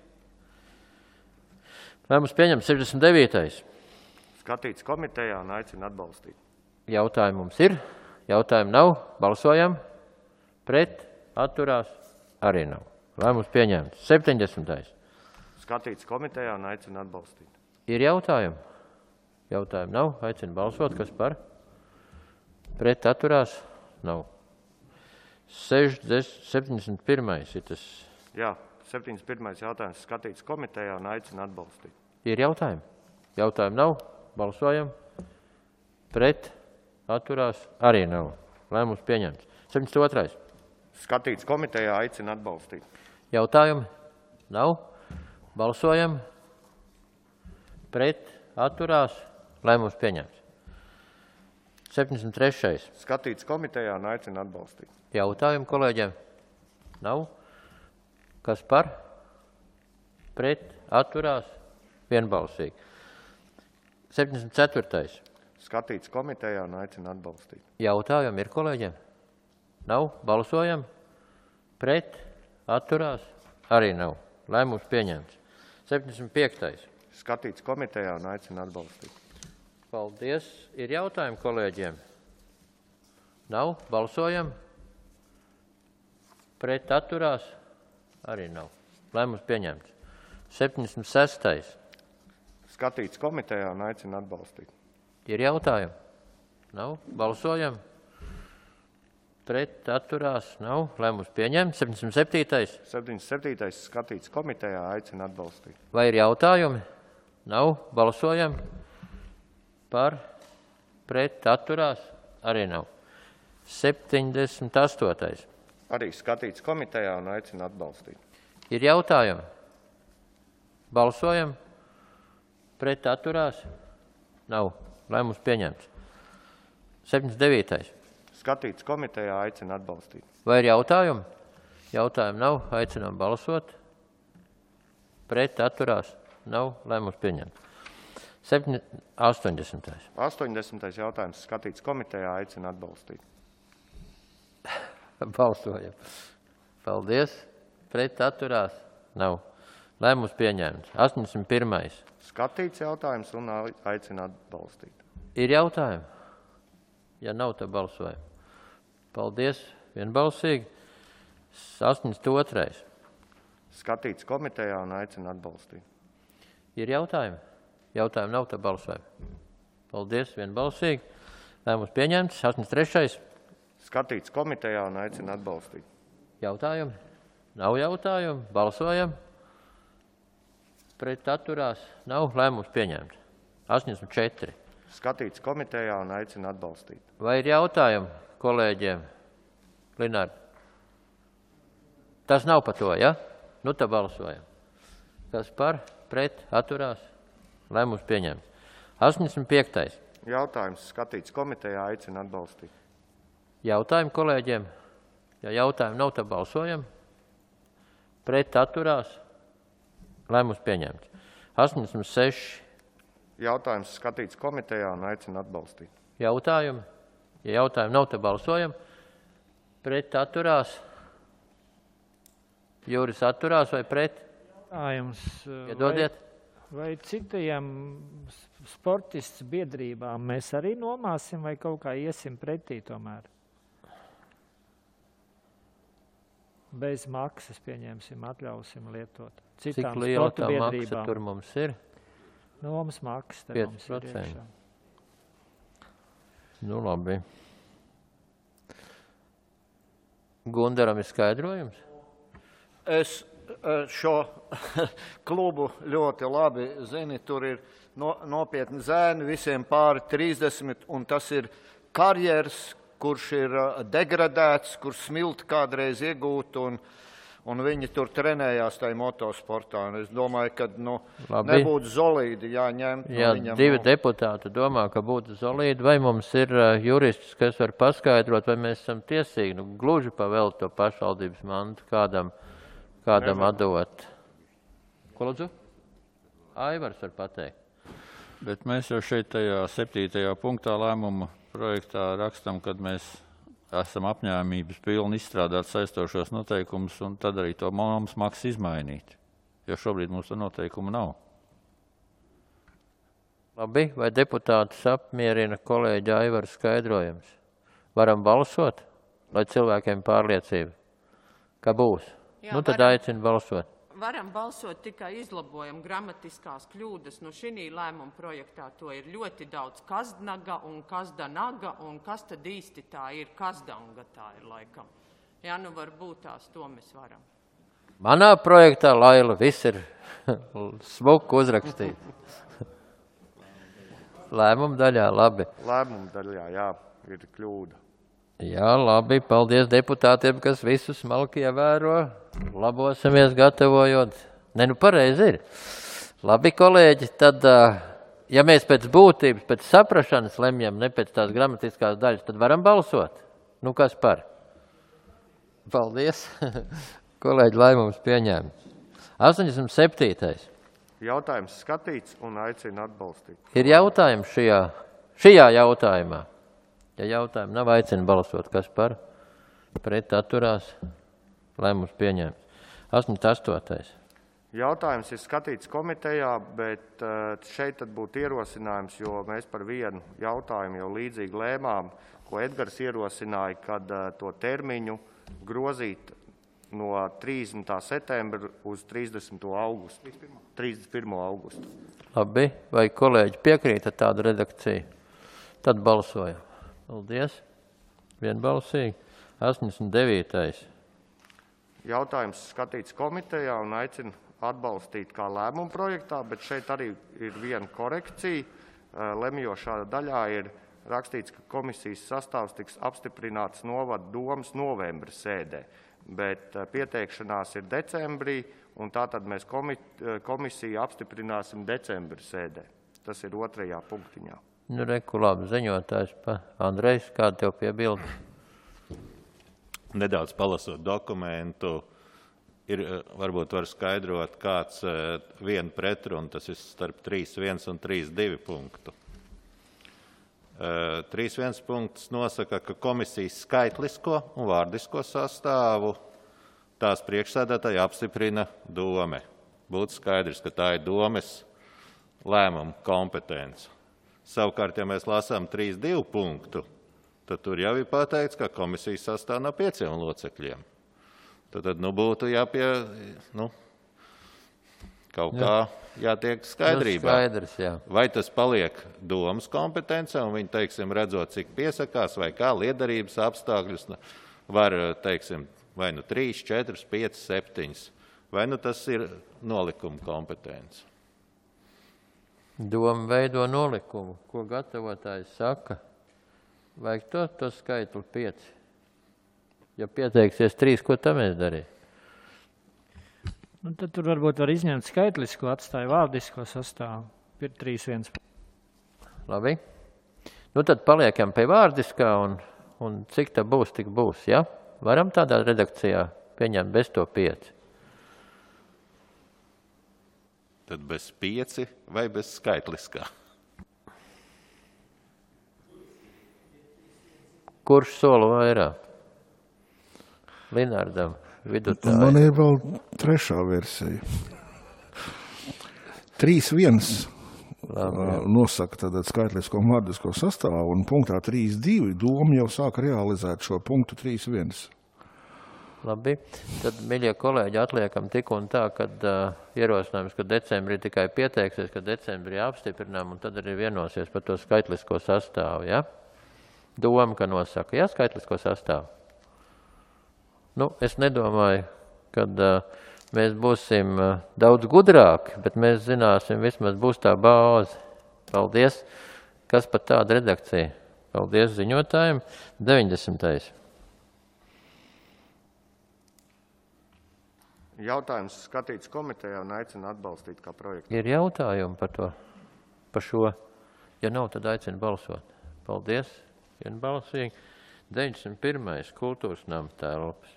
Lēmums pieņemts. 69. Skatīts komitejā un aicina atbalstīt. Jautājumi mums ir, jautājumi nav, balsojam, pret, atturās, arī nav. Lēmums pieņemts. 70. Skatīts komitejā un aicina atbalstīt. Ir jautājumi? Jautājumi nav, aicina balsot, kas par? Pret, atturās, nav. 71. ir tas. Jā, 71. jautājums skatīts komitejā un aicina atbalstīt. Ir jautājumi? Jautājumi nav, balsojam, pret, atturās, arī nav. Lēmums pieņemts. 72. Skatīts komitejā aicina atbalstīt. Jautājumi? Nav. Balsojam. Pret. Atturās. Lēmums pieņemts. 73. Skatīts komitejā un aicina atbalstīt. Jautājumi kolēģiem? Nav. Kas par? Pret. Atturās. Vienbalsīgi. 74. Skatīts komitejā un aicina atbalstīt. Jautājumi ir kolēģiem? Nav. Balsojam. Pret. Atturās. Arī nav. Lēmums pieņemts. 75. Skatīts komitejā un aicina atbalstīt. Paldies. Ir jautājumi kolēģiem? Nav. Balsojam. Pret. Atturās. Arī nav. Lēmums pieņemts. 76. Skatīts komitejā un aicina atbalstīt. Ir jautājumi? Nav. Balsojam. Pret, atturās, nav. Lēmums pieņemts. 77. 77. Skatīts komitejā aicina atbalstīt. Vai ir jautājumi? Nav. Balsojam. Par, pret, atturās, arī nav. 78. Arī skatīts komitejā un aicina atbalstīt. Ir jautājumi? Balsojam. Pret, atturās, nav. Lēmums pieņemts. 79. Skatīts komitejā aicina atbalstīt. Vai ir jautājumi? Jautājumi nav. Aicinām balsot. Pret, atturās, nav. Lēmums pieņemts. 80. 80. jautājums skatīts komitejā aicina atbalstīt. Balsojam. Paldies. Pret, atturās, nav. Lēmums pieņemts. 81. Skatīts jautājums un aicina atbalstīt. Ir jautājumi? Ja nav, tad balsojam. Paldies. Vienbalsīgi. 82. Skatīts komitejā un aicina atbalstīt. Ir jautājumi? Jautājumi nav, tad balsojam. Paldies. Vienbalsīgi. Lēmums pieņemts. 83. Skatīts komitejā un aicina atbalstīt. Jautājumi? Nav jautājumu. Balsojam. Pret, atturās, nav. Lēmums pieņemts. 84. Skatīts komitejā un aicina atbalstīt. Vai ir jautājumi kolēģiem? Linārd. Tas nav par to, ja? Nu, tad balsojam. Kas par? Pret, atturās. Lēmums pieņemts. 85. Jautājums skatīts komitejā aicina atbalstīt. Jautājumi kolēģiem? Ja jautājumi nav, tad balsojam. Pret, atturās. Lēmums pieņemts. 86. Jautājums skatīts komitejā un aicina atbalstīt. Jautājumi? Ja jautājumi nav, tad balsojam. Pret, atturās. Jūris atturās vai pret? Jautājums. Iedodiet. Vai citajām sportists biedrībām mēs arī nomāsim vai kaut kā iesim pretī tomēr? Bez maksas pieņemsim, atļausim lietot. Cik liela tā maksa tur mums ir? Nomas maksa. 5%. Nu, labi. Gundaram ir skaidrojums? Es šo klubu ļoti labi zini, tur ir nopietni zēni, visiem pāri 30, un tas ir karjers, kurš ir degradēts, kur smilti kādreiz iegūt, un viņi tur trenējās tajā motosportā. Es domāju, ka nebūtu Zolīdi jāņem. Jā, divi deputāti domā, ka būtu Zolīdi. Vai mums ir jurists, kas var paskaidrot, vai mēs esam tiesīgi gluži pavēlt to pašvaldības mantu kādam atdot? Ko lūdzu? Aivars var pateikt. Bet mēs jau šeit tajā 7. punktā lēmuma projektā rakstam, kad mēs esam apņēmības pilni izstrādāt saistošos noteikumus un tad arī to mums maksu izmainīt. Jo šobrīd mums to noteikumu nav. Labi, vai deputātus apmierina kolēģi Aivara skaidrojums? Varam balsot, lai cilvēkiem pārliecība, ka būs. Jā, Nu, tad aicinu balsot. Varam balsot, tikai izlabojam gramatiskās kļūdas. Nu, šī lēmuma projektā to ir ļoti daudz. Kazdnaga un kazdanaga, un kas tad īsti tā ir? Kazdanga tā ir laikam. Jā, nu varbūt tās to mēs varam. Manā projektā, Laila, viss ir smuku uzrakstīts. Lēmuma daļā, labi. Lēmuma daļā, jā, ir kļūda. Jā, labi, paldies deputātiem, kas visu smalki ievēro. Labosimies gatavojot. Ne, nu pareizi ir. Labi, kolēģi, tad, ja mēs pēc būtības, pēc saprašanas lemjam, ne pēc tās gramatiskās daļas, tad varam balsot. Nu, kas par? Paldies. Kolēģi, lēmums pieņēmts. 87. Jautājums skatīts un aicina atbalstīt. Ir jautājums šajā jautājumā. Ja jautājumu nav, aicina balsot. Kas par? Pret atturās. Lēmums pieņēmts. 88. Jautājums ir skatīts komitejā, bet šeit tad būtu ierosinājums, jo mēs par vienu jautājumu jau līdzīgi lēmām, ko Edgars ierosināja, kad to termiņu grozīt no 30. septembra uz 30. augustu. 31. augustu. Labi, vai kolēģi piekrīta tādu redakciju? Tad balsojam. Paldies. Vienbalsīgi. 89. Jautājums skatīts komitejā un aicina atbalstīt kā lēmumu projektā, bet šeit arī ir viena korekcija. Lemjošā daļā ir rakstīts, ka komisijas sastāvs tiks apstiprināts novada domas novembra sēdē, bet pieteikšanās ir decembrī, un tātad mēs komisiju apstiprināsim decembra sēdē. Tas ir 2. punktiņā. Nu, reku labi, ziņotājs pa Andrejs, kāda tev piebilda? Nedaudz palasot dokumentu, varbūt var skaidrot, kāds viena pretruna, tas ir starp 3.1 un 3.2 punktu. 3.1 punkts nosaka, ka komisijas skaitlisko un vārdisko sastāvu tās priekšsēdētāji apstiprina dome. Būtu skaidrs, ka tā ir domes lēmuma kompetence. Savukārt, ja mēs lasām 3.2 punktu, tad tur jau ir pateikts, ka komisijas sastāv no 5 locekļiem. Tad būtu kaut kā jātiek skaidrībā. Skaidrs, jā. Vai tas paliek domas kompetencē, un viņi, teiksim, redzot, cik piesakās, vai kā liederības apstākļus var, teiksim, vai nu 3, 4, 5, 7, vai nu tas ir nolikuma kompetence. Doma veido nolikumu. Ko gatavotājs saka? Vajag to skaitli 5. Ja pieteiksies 3, ko tam mēs darīsim? Nu, tad tur varbūt var izņemt skaitlisko, atstāja vārdisko sastāvu. Ir 3.1. Labi. Nu, tad paliekam pie vārdiskā, un cik tā būs, tik būs, ja? Varam tādā redakcijā pieņemt bez to 5. Tad bez 5 vai bez skaitliskā? Kurš sola vairāk? Linardam, vidutāji. Man ir vēl 3. versija. 3.1 nosaka tātad skaitlisko un vārdisko sastāvu, un punktā 3.2 doma jau sāk realizēt šo punktu 3.1. Labi, tad, miļie kolēģi, atliekam tik un tā, kad ierosinājums, ka decembrī tikai pieteiksies, ka decembrī apstiprinām, un tad arī vienosies par to skaitlisko sastāvu, ja? Doma, ka nosaka, ja, skaitlisko sastāvu. Nu, es nedomāju, kad mēs būsim daudz gudrāki, bet mēs zināsim, vismaz būs tā bāze. Paldies, kas pat tāda redakcija. Paldies ziņotājiem. 90. Jautājums skatīts komitejā un aicina atbalstīt kā projektu. Ir jautājumi par šo? Ja nav, tad aicina balsot. Paldies, vienbalsīgi. 91. kultūras nama telpas.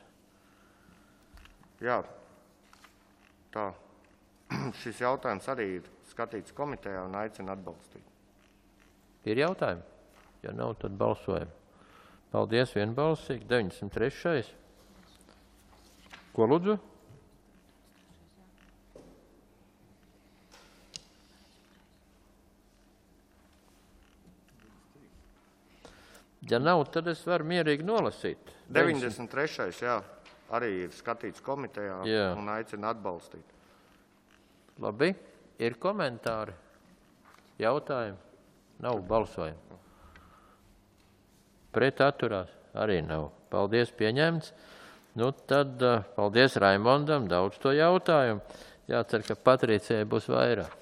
Jā, tā. Šis jautājums arī ir skatīts komitejā un aicina atbalstīt. Ir jautājumi? Ja nav, tad balsojam. Paldies, vienbalsīgi. 93. Ko lūdzu? Ja nav, tad es varu mierīgi nolasīt. 93. jā, arī ir skatīts komitejā un aicina atbalstīt. Labi, ir komentāri, jautājumi? Nav balsojumi. Pret atturās arī nav. Paldies, pieņemts. Nu tad paldies Raimondam, daudz to jautājumu. Jācer, ka Patricijai būs vairāk.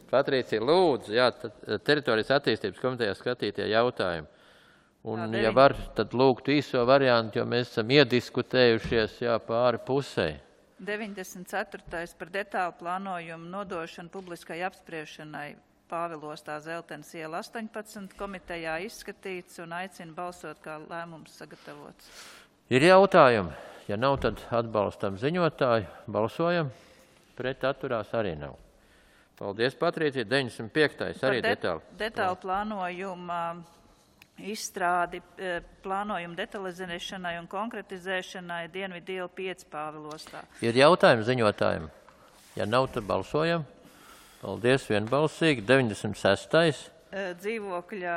Patricija, lūdzu, teritorijas attīstības komitejā skatītie jautājumi. Un, ja var, tad lūgtu īso variantu, jo mēs esam iediskutējušies pāri pusē. 94. par detālu plānojumu nodošanu publiskai apspriešanai Pāvilostā Zeltenes iela 18 komitejā izskatīts un aicina balsot, kā lēmums sagatavots. Ir jautājumi. Ja nav, tad atbalstam ziņotāju. Balsojam. Pret atturās arī nav. Paldies, Patricija. 95. arī detāli. Detālu plānojuma izstrādi, plānojumu detalizēšanai un konkretizēšanai Dienvidu iela 5 Pāvilostā. Ir jautājumi ziņotājiem. Ja nav, tad balsojam. Paldies, vienbalsīgi. 96. Dzīvokļa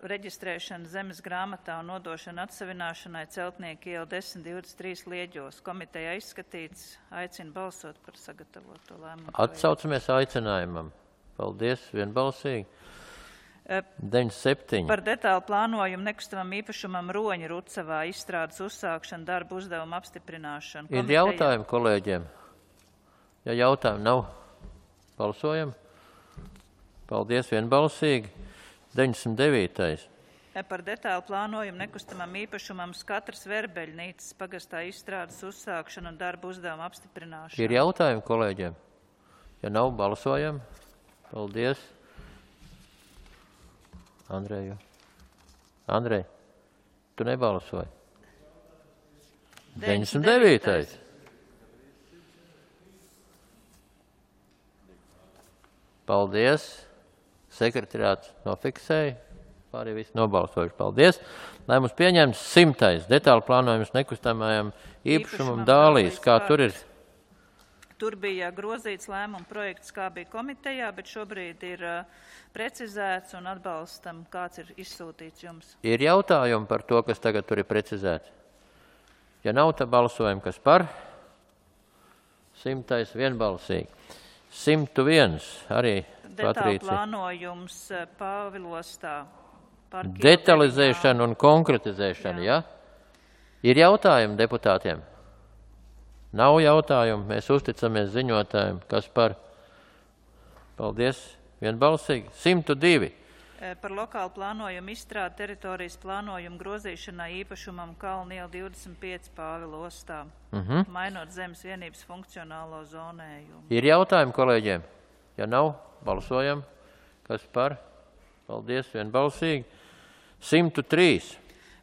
reģistrēšana zemes grāmatā un nodošana atsavināšanai Celtnieku iela 1023 Lieģos. Komitejā izskatīts, aicina balsot par sagatavoto lēmumu. Atsaucamies aicinājumam. Paldies, vienbalsīgi. 97. Par detālu plānojumu nekustamam īpašumam Roņa Rucavā izstrādes uzsākšanu darbu uzdevumu apstiprināšanu. Ir jautājumi kolēģiem? Ja jautājumi nav, balsojam. Paldies, vienbalsīgi. 99. Par detālu plānojumu nekustamam īpašumam Skatras Verbeļnīcas pagastā izstrādes uzsākšanu un darbu uzdevumu apstiprināšanu. Ir jautājumi kolēģiem? Ja nav, balsojam. Paldies. Andrej, tu nebalsoji. 99. Paldies. Sekretariāts nofiksēja. Pārējie visi nobalsojuši. Paldies. Lēmums pieņemts 100. Detālu plānojums nekustamajam īpašumam Dālijas. Kā tur ir? Tur bija grozīts lēmuma projekts, kā bija komitejā, bet šobrīd ir precizēts un atbalstam, kāds ir izsūtīts jums. Ir jautājumi par to, kas tagad tur ir precizēts? Ja nav, tad balsojam, kas par? 100. vienbalsīgi. 101. arī Detālu Patricija. plānojums Pāvilostā. Detalizēšana un konkretizēšana, ja? Ir jautājumi deputātiem? Nav jautājumu, mēs uzticamies ziņotājiem, kas par. Paldies, vienbalsīgi. 102. Par lokālu plānojumu izstrādi teritorijas plānojumu grozīšanai īpašumam Kalniela 25 Pāvilostā, mainot zemes vienības funkcionālo zonējumu. Ir jautājumi kolēģiem? Ja nav, balsojam. Kas par? Paldies, vienbalsīgi. 103.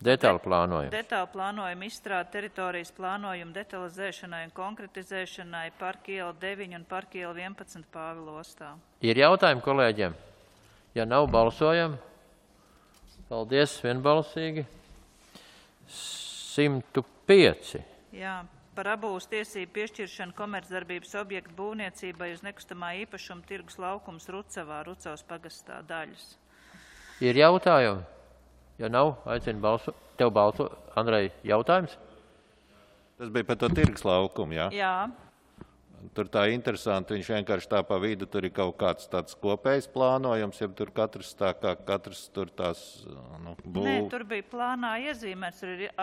Detālu plānojumu. Detālu plānojumu izstrādi teritorijas plānojumu detalizēšanai un konkretizēšanai Parka iela 9 un Parka iela 11 Pāvilostā. Ir jautājumi kolēģiem? Ja nav, balsojam. Paldies, vienbalsīgi. 105. Jā, par abūs tiesību piešķiršanu komercdarbības objektu būvniecībai uz nekustamā īpašuma tirgus laukums Rucavā, Rucavas pagastā daļas. Ir jautājumi? Ja nav, aicinu balsot. Tev balso, Andrej, jautājums? Tas bija par to tirgus laukumu, jā? Jā. Tur tā interesanti, viņš vienkārši tā pa vidu, tur ir kaut kāds tāds kopējs plānojums, ja tur katrs tā kā katrs tur tās būv. Nē, tur bija plānā iezīmēts, tur ir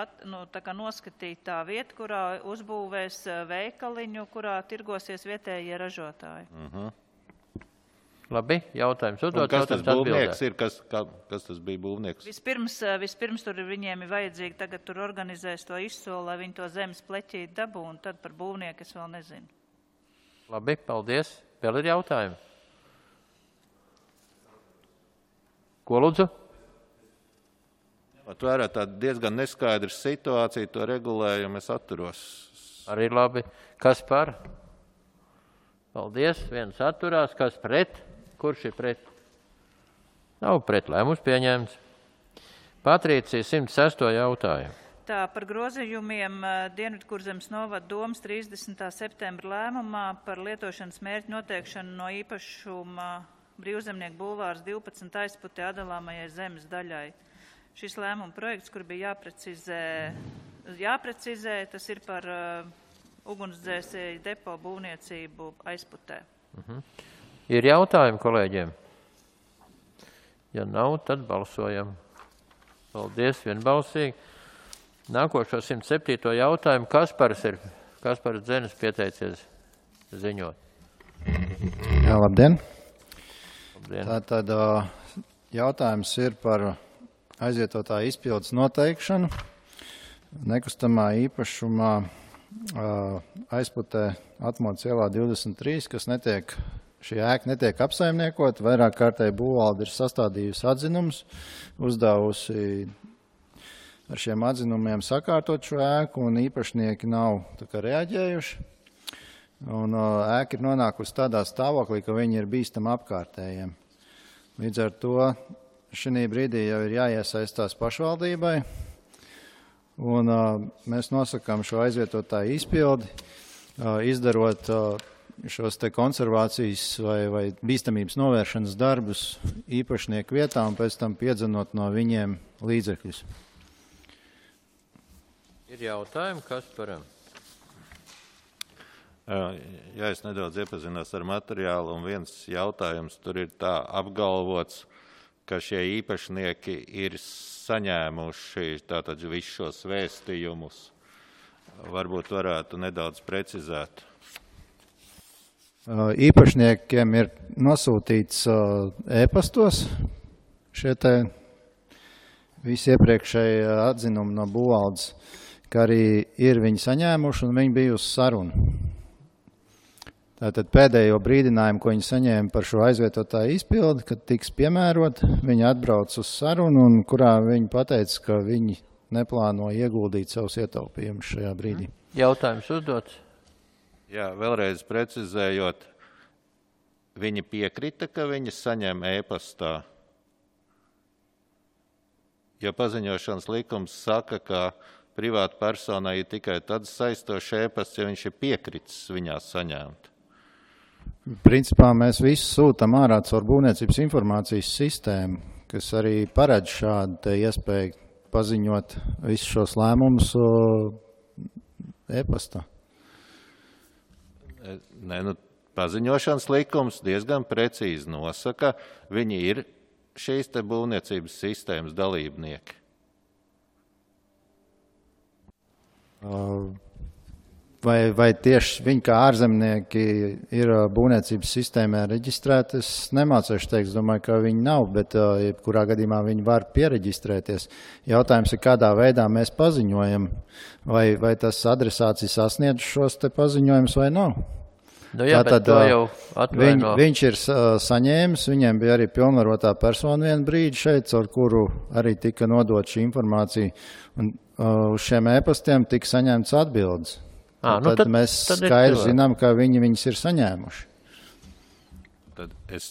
tā kā noskatīta tā vieta, kurā uzbūvēs veikaliņu, kurā tirgosies vietējie ražotāji. Labi, jautājums uzdot. Kas tas būvnieks ir? Kas tas bija būvnieks? Vispirms tur viņiem ir vajadzīgi tagad tur organizēs to izsoli, lai viņi to zemes pleķīt dabū, un tad par būvnieku es vēl nezinu. Labi, paldies. Vēl ir jautājumi? Ko lūdzu? Tvērā tā diezgan neskaidra situācija, to regulējumu es atturos. Arī labi. Kas par? Paldies. Viens atturās. Kas pret? Kurš ir pret? Nav pret. Lēmums pieņemts. Patricija 106. jautājumu. Tā par grozījumiem Dienvidkurzemes novada domas 30. septembra lēmumā par lietošanas mērķu noteikšanu no īpašuma Brīvzemnieku bulvārs 12 aizputē atdalāmajai zemes daļai. Šis lēmuma projekts, kur bija jāprecizē, tas ir par ugunsdzēsēju depo būvniecību aizputē. Ir jautājumi kolēģiem? Ja nav, tad balsojam. Paldies, vienbalsīgi. Nākošo 107. jautājumu Kaspars Dzenis pieteicies ziņot. Jā, labdien. Labdien. Tātad jautājums ir par aizvietotāju izpildes noteikšanu. Nekustamā īpašumā aizputē Atmodas ielā 23, kas šī ēka netiek apsaimniekota. Vairāk kārtēji būvvalde ir sastādījusi atzinumus, uzdevusi ar šiem atzinumiem sakārtot šo ēku, un īpašnieki nav reaģējuši. Un ēka ir nonākusi tādā stāvoklī, ka viņi ir bīstami apkārtējiem. Līdz ar to šī brīdī jau ir jāiesaistās pašvaldībai, un mēs nosakām šo aizvietotāju izpildi, izdarot šos te konservācijas vai bīstamības novēršanas darbus īpašnieku vietā un pēc tam piedzenot no viņiem līdzekļus. Ir jautājumi, Kasparam? Jā, es nedaudz iepazinos ar materiālu, un viens jautājums tur ir tā apgalvots, ka šie īpašnieki ir saņēmuši tātad visus šos vēstījumus. Varbūt varētu nedaudz precizēt. Īpašniekiem ir nosūtīts e-pastos šie te visi iepriekšēji atzinumi no būvvaldes, ka arī ir viņi saņēmuši un viņi bija uz sarunu. Tātad pēdējo brīdinājumu, ko viņi saņēma par šo aizvietotāju izpildi, kad tiks piemērot, viņi atbrauc uz sarunu, un kurā viņi pateica, ka viņi neplāno ieguldīt savus ietaupījumus šajā brīdī. Jautājums uzdots? Jā, vēlreiz precizējot, viņi piekrita, ka viņi saņem e-pastā. Jo paziņošanas likums saka, ka privāta personai ir tikai tad saistošs e-pasts, ja viņš ir piekritis viņā saņemt. Principā mēs visu sūtam ārā caur būvniecības informācijas sistēmu, kas arī paredz šādu iespēju paziņot visus šos lēmumus e-pastā. Paziņošanas likums diezgan precīzi nosaka, viņi ir šīs te būvniecības sistēmas dalībnieki. Vai tieši viņi kā ārzemnieki ir būvniecības sistēmā reģistrēti, es nemācīšu teikt, es domāju, ka viņi nav, bet jebkurā gadījumā viņi var piereģistrēties. Jautājums ir, kādā veidā mēs paziņojam, vai tas adresāts ir sasniedz šos te paziņojumus vai nav. Nu jā, bet to jau atvaino. Viņš ir saņēmis, viņiem bija arī pilnvarotā persona vienu brīdi šeit, ar kuru arī tika nodot šī informācija, un uz šiem e-pastiem tika saņemts atbildes. Tad mēs skaidri zinām, ka viņi viņus ir saņēmuši. Tad es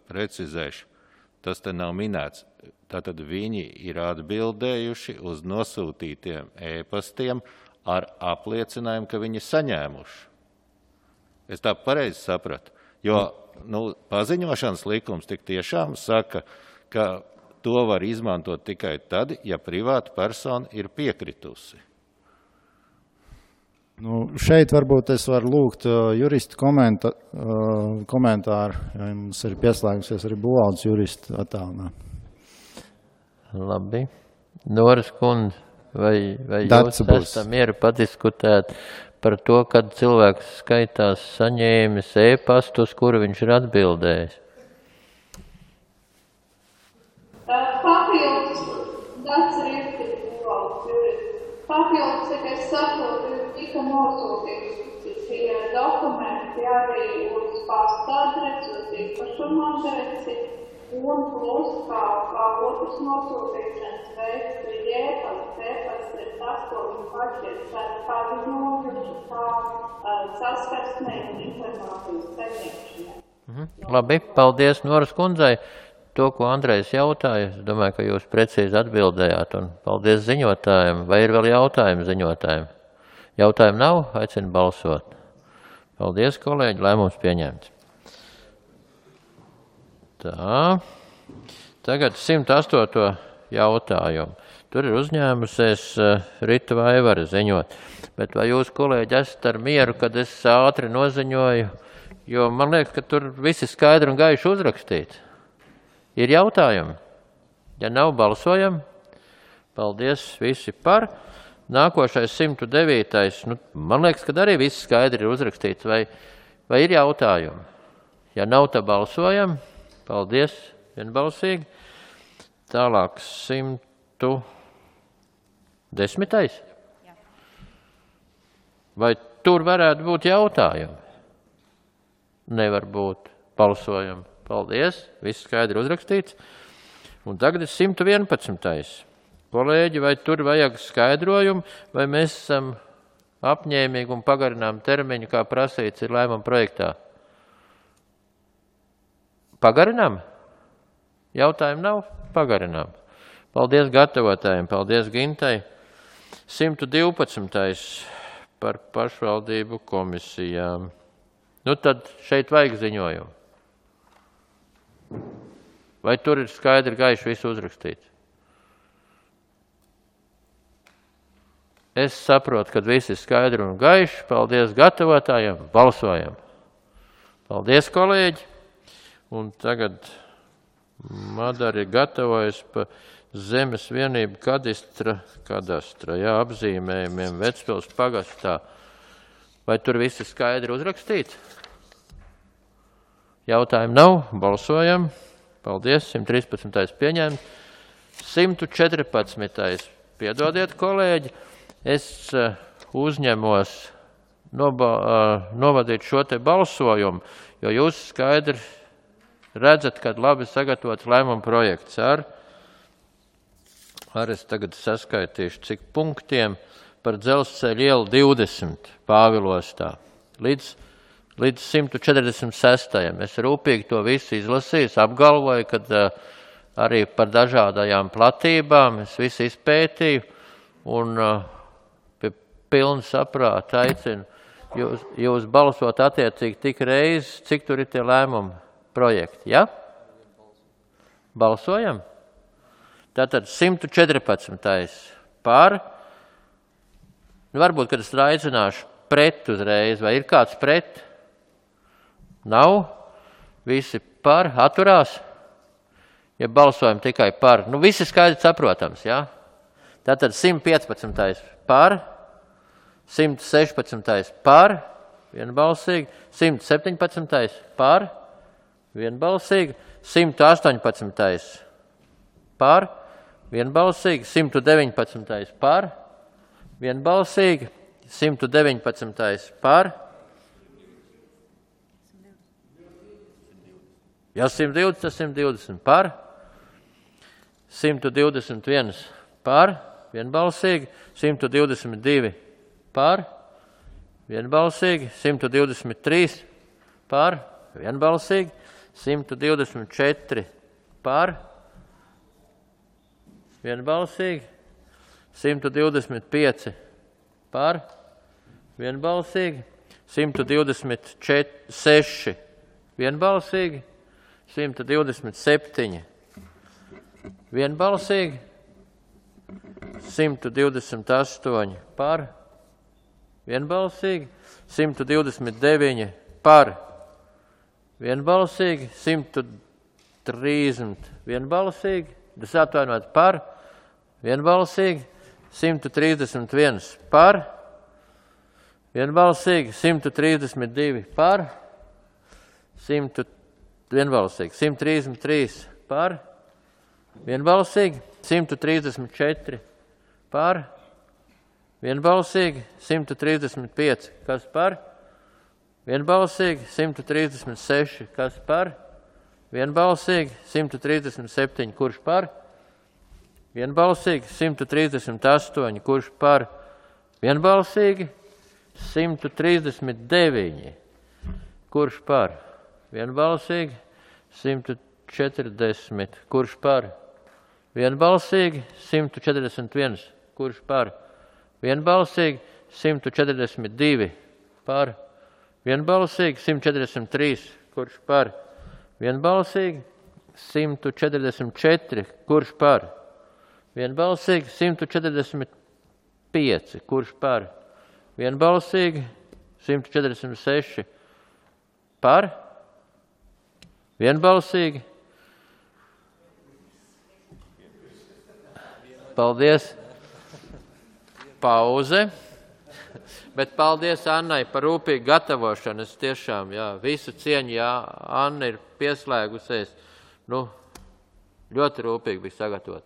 precizēšu. Tas te nav minēts. Tātad viņi ir atbildējuši uz nosūtītiem e-pastiem ar apliecinājumu, ka viņi saņēmuši. Es tā pareizi sapratu. Jo paziņošanas likums tik tiešām saka, ka to var izmantot tikai tad, ja privāta persona ir piekritusi. Šeit varbūt es varu lūgt juristu komentāru, jo mums ir pieslēgusies arī būvvaldes juristu attālinā. Labi. Noras kundze, vai jūs esat mieru padiskutēt par to, kad cilvēks skaitās saņēmis e-pastu, uz kuru viņš ir atbildējis? Papildus, Dats Riekti, būvvaldes jurists. Papildus, cik es saprotu, tika nosūtīti šie dokumenti arī uz pasta adresi, uz īpašuma adresi, un plus kā otrs nosūtīšanas veids ir e-pasts ir tas, ko viņi paši ir paziņojuši kā saskarsmē un informācijas saņemšanai. Labi, paldies Noras kundzei. To, ko Andrejs jautāja, es domāju, ka jūs precīzi atbildējāt, un paldies ziņotājiem. Vai ir vēl jautājumi ziņotājiem? Jautājumu nav? Aicinu balsot. Paldies, kolēģi, lēmums pieņemts. Tā. Tagad 108. jautājumu. Tur ir uzņēmusies Rita Vaivara ziņot. Bet vai jūs, kolēģi, esat ar mieru, kad es ātri noziņoju? Jo man liekas, ka tur viss ir skaidri un gaiši uzrakstīts. Ir jautājumi? Ja nav, balsojam. Paldies, visi par. Nākošais 109. Nu, man liekas, ka arī viss skaidri ir uzrakstīts. Vai ir jautājumi? Ja nav, tad balsojam. Paldies, vienbalsīgi. Tālāk 110. Vai tur varētu būt jautājumi? Nevar būt. Balsojam. Paldies. Viss skaidri uzrakstīts. Un tagad ir 111. Kolēģi, vai tur vajag skaidrojumu, vai mēs esam apņēmīgi un pagarinām termiņu, kā prasīts ir lēmuma projektā? Pagarinām? Jautājumu nav? Pagarinām. Paldies gatavotājiem, paldies Gintai. 112. par pašvaldību komisijām. Nu tad šeit vajag ziņojumu. Vai tur ir skaidri gaiši visu uzrakstīts? Es saprotu, ka viss ir skaidri un gaiši. Paldies gatavotājiem. Balsojam. Paldies, kolēģi. Un tagad Madara ir gatavojas pa zemes vienību kadastra, apzīmējumiem Vecpils pagastā. Vai tur viss ir skaidri uzrakstīts? Jautājumu nav. Balsojam. Paldies. 113. pieņēmts. 114. Piedodiet, kolēģi. Es uzņemos novadīt šo te balsojumu, jo jūs skaidri redzat, kad labi sagatavots lēmuma projekts ar es tagad saskaitīšu, cik punktiem par Dzelzceļa ielu 20 Pāvilostā līdz 146. Es rūpīgi to visu izlasīju, apgalvoju, kad arī par dažādajām platībām es visu izpētīju un pie pilna saprāta aicinu jūs balsot attiecīgi tik reizi, cik tur ir tie lēmumi projekti, ja? Balsojam? Tātad 114. par. Varbūt, kad es aicināšu pret uzreiz, vai ir kāds pret? Nav? Visi par, atturās? Ja balsojam tikai par. Nu, visi skaidri saprotams, ja? Tātad 115. par, 116. par, vienbalsīgi, 117. par, vienbalsīgi, 118. par, vienbalsīgi, 119. par, vienbalsīgi, 119. par, ja 120, tas 120 par, 121 par, vienbalsīgi, 122 par, vienbalsīgi, 123 par, vienbalsīgi, 124 par, vienbalsīgi, 125 par, vienbalsīgi, 126 vienbalsīgi, 127 vienbalsīgi, 128 par, vienbalsīgi, 129 par, vienbalsīgi, 130 vienbalsīgi, tas atvainot par, vienbalsīgi, 131 par, vienbalsīgi, 132 par, vienbalsīgi, 133 par, vienbalsīgi, 134 par, vienbalsīgi, 135, kas par, vienbalsīgi, 136, kas par, vienbalsīgi, 137, kurš par, vienbalsīgi, 138, kurš par, vienbalsīgi, 139, kurš par, vienbalsīgi, 140, kurš par, vienbalsīgi, 141, kurš par, vienbalsīgi, 142, par, vienbalsīgi, 143, kurš par, vienbalsīgi, 144. Kurš par? Vienbalsīgi. 145. Kurš par? Vienbalsīgi. 146. Par? Vienbalsīgi. Paldies. Pauze. Bet paldies Annai par rūpīgu gatavošanu. Es tiešām, visu cieņu, Anna ir pieslēgusies. Ļoti rūpīgi bija sagatavot.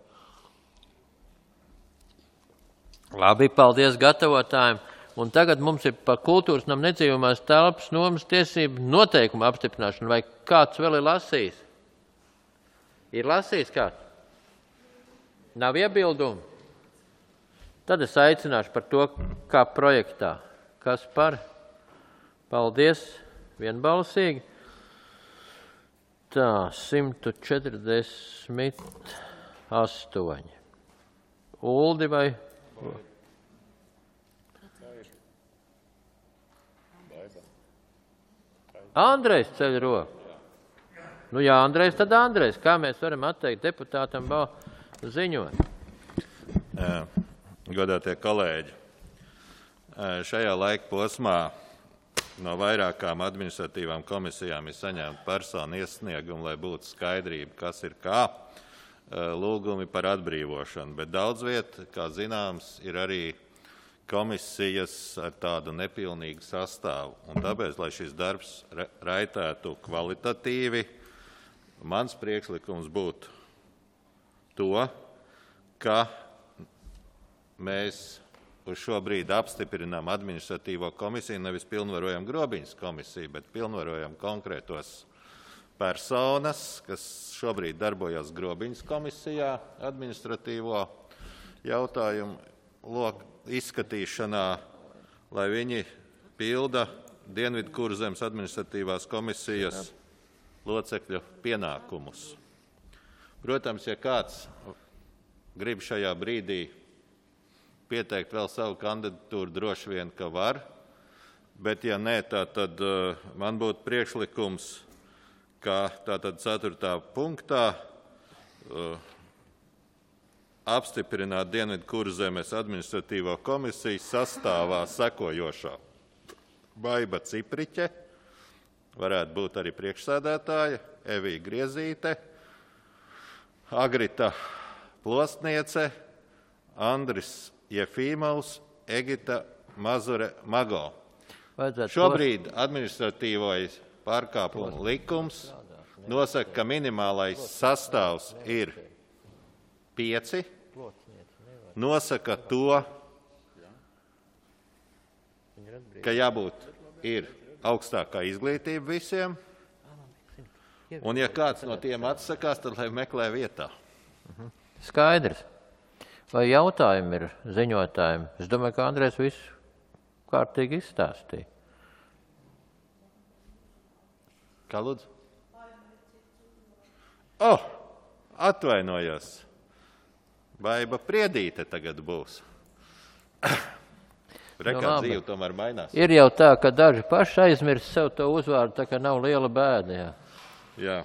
Labi, paldies gatavotājiem. Un tagad mums ir par kultūras nam nedzīvamās telpas nomas tiesību noteikumu apstiprināšanu. Vai kāds vēl ir lasījis? Ir lasījis kāds? Nav iebildumu? Tad es aicināšu par to, kā projektā. Kas par? Paldies, vienbalsīgi. Tā, 148. Uldi vai? Andrejs ceļ roku. Andrejs, tad Andrejs. Kā mēs varam atteikt deputātam ziņot? Godātie kolēģi, šajā laika posmā no vairākām administratīvām komisijām ir saņemta personu iesniegumu, lai būtu skaidrība, kas ir kā, lūgumi par atbrīvošanu. Bet daudz viet, kā zināms, ir arī komisijas ar tādu nepilnīgu sastāvu. Un tāpēc, lai šis darbs raitētu kvalitatīvi, mans priekšlikums būtu to, ka mēs uz šo brīdi apstiprinām administratīvo komisiju, nevis pilnvarojam Grobiņas komisiju, bet pilnvarojam konkrētos personas, kas šobrīd darbojas Grobiņas komisijā administratīvo jautājumu izskatīšanā, lai viņi pilda Dienvidkurzemes administratīvās komisijas locekļu pienākumus. Protams, ja kāds grib šajā brīdī pieteikt vēl savu kandidatūru, droši vien, ka var, bet ja nē, tad man būtu priekšlikums, ka tātad 4. punktā apstiprināt Dienvidkurzemes administratīvo komisiju sastāvā sekojošā. Baiba Cipriķe, varētu būt arī priekšsēdētāja, Evija Griezīte, Agrita Plosniece, Andris Jefīmovs, Egita Mazure-Mago. Šobrīd administratīvais pārkāpumu likums nosaka, ka minimālais sastāvs ir 5, nosaka to, ka jābūt ir augstākā izglītība visiem, un ja kāds no tiem atsakās, tad lai meklē vietā. Skaidrs. Vai jautājumi ir ziņotājiem? Es domāju, ka Andrejs visu kārtīgi izstāstīja. Kā lūdzu? Atvainojos. Baiba Priedīte tagad būs. Rekā dzīve tomēr mainās. Ir jau tā, ka daži paši aizmirst sev to uzvārdu, tā kā nav liela bēda. Jā.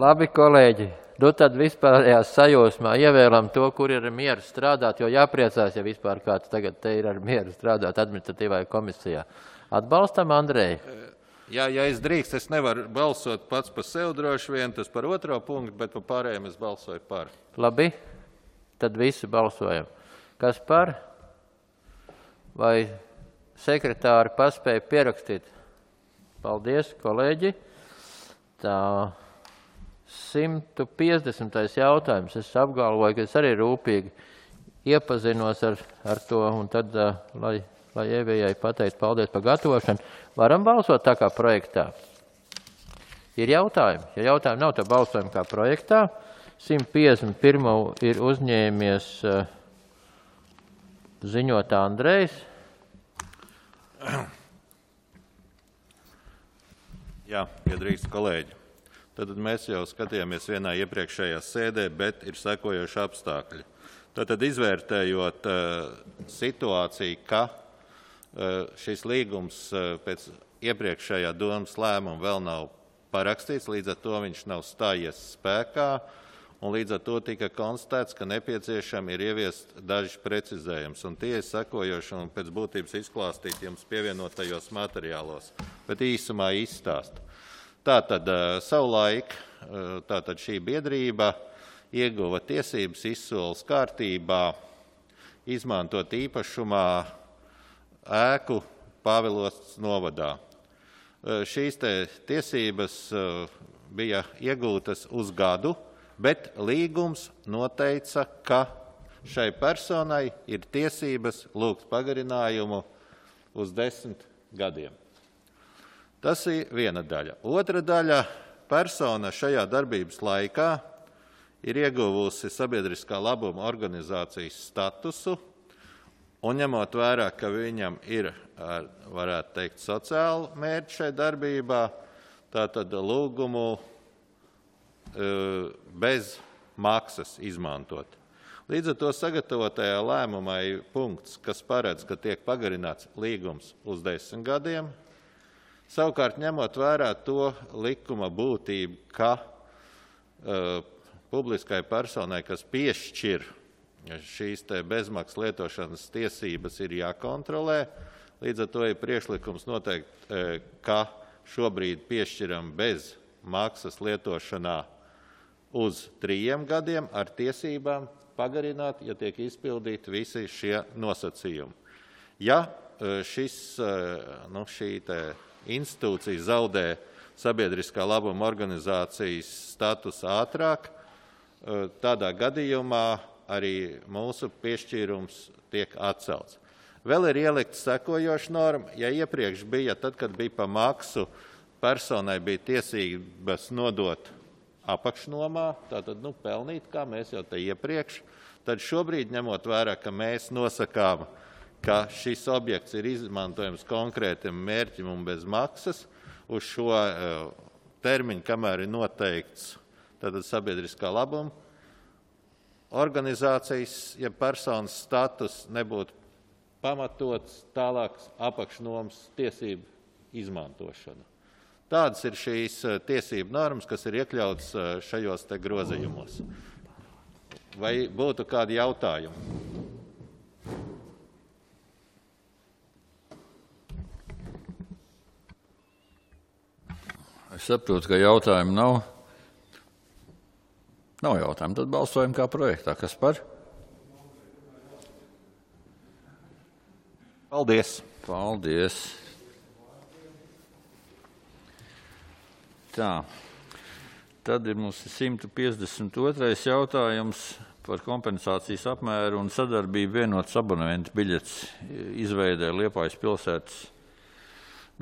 Labi, kolēģi. Tad vispārējās sajūsmā ievēlam to, kur ir mieru strādāt, jo jāpriecās, ja vispār kāds tagad te ir ar mieru strādāt administratīvajā komisijā. Atbalstam Andreju? Jā, ja es drīkst, es nevaru balsot pats par sevi droši vien, tas par 2. punktu, bet par pārējiem es balsoju par. Labi, tad visi balsojam. Kas par? Vai sekretāri paspēja pierakstīt? Paldies, kolēģi. Tā 150. jautājums. Es apgalvoju, ka es arī rūpīgi iepazinos ar to, un tad, lai Evijai pateikt paldies par gatavošanu, varam balsot tā kā projektā. Ir jautājumi. Ja jautājumi nav, tad balsojam kā projektā. 151. ir uzņēmies ziņot Andrejs. Jā, ja drīkst kolēģi. Tad mēs jau skatījāmies vienā iepriekšējā sēdē, bet ir sekojoši apstākļi. Tad izvērtējot situāciju, ka šis līgums pēc iepriekšējā domas lēmuma vēl nav parakstīts, līdz ar to viņš nav stājies spēkā, un līdz ar to tika konstatēts, ka nepieciešami ir ieviest daži precizējums, un tie ir sekojoši un pēc būtības izklāstīt jums pievienotajos materiālos, bet īsumā izstāst. Tātad savulaik tātad šī biedrība ieguva tiesības izsoles kārtībā izmantot īpašumā ēku Pāvilostas novadā. Šīs tiesības bija iegūtas uz gadu, bet līgums noteica, ka šai personai ir tiesības lūgt pagarinājumu uz 10 gadiem. Tas ir viena daļa. Otra daļa – persona šajā darbības laikā ir ieguvusi sabiedriskā labuma organizācijas statusu, un ņemot vērā, ka viņam ir, varētu teikt, sociāli mērķi šai darbībā, tātad lūgumu bez maksas izmantot. Līdz ar to sagatavotajā lēmumā ir punkts, kas paredz, ka tiek pagarināts līgums uz 10 gadiem. Savukārt, ņemot vērā to likuma būtību, ka publiskai personai, kas piešķir šīs bezmaksas lietošanas tiesības, ir jākontrolē. Līdz ar to ir priekšlikums noteikt, ka šobrīd piešķiram bez maksas lietošanā uz 3 gadiem ar tiesībām pagarināt, ja tiek izpildīti visi šie nosacījumi. Ja šī institūcija zaudē sabiedriskā labuma organizācijas status ātrāk, tādā gadījumā arī mūsu piešķīrums tiek atcelts. Vēl ir ielikts sekojoša norma, ja iepriekš bija, tad, kad bija pa maksu, personai bija tiesības nodot apakšnomā, tātad pelnīt, kā mēs jau te iepriekš, tad šobrīd, ņemot vērā, ka mēs nosakām, ka šis objekts ir izmantojams konkrētam mērķim un bez maksas, uz šo termiņu, kamēr ir noteikts tātad sabiedriskā labuma organizācijas, ja personas status nebūtu pamatots tālāks apakšnomas tiesību izmantošana. Tādas ir šīs tiesību normas, kas ir iekļautas šajos te grozījumos. Vai būtu kādi jautājumi? Es saprotu, ka jautājumu nav. Nav jautājumu, tad balsojam kā projektā. Kas par? Paldies. Paldies. Tā. Tad ir mums 152. jautājums par kompensācijas apmēru un sadarbību vienotas abonementu biļetes izveidē Liepājas pilsētas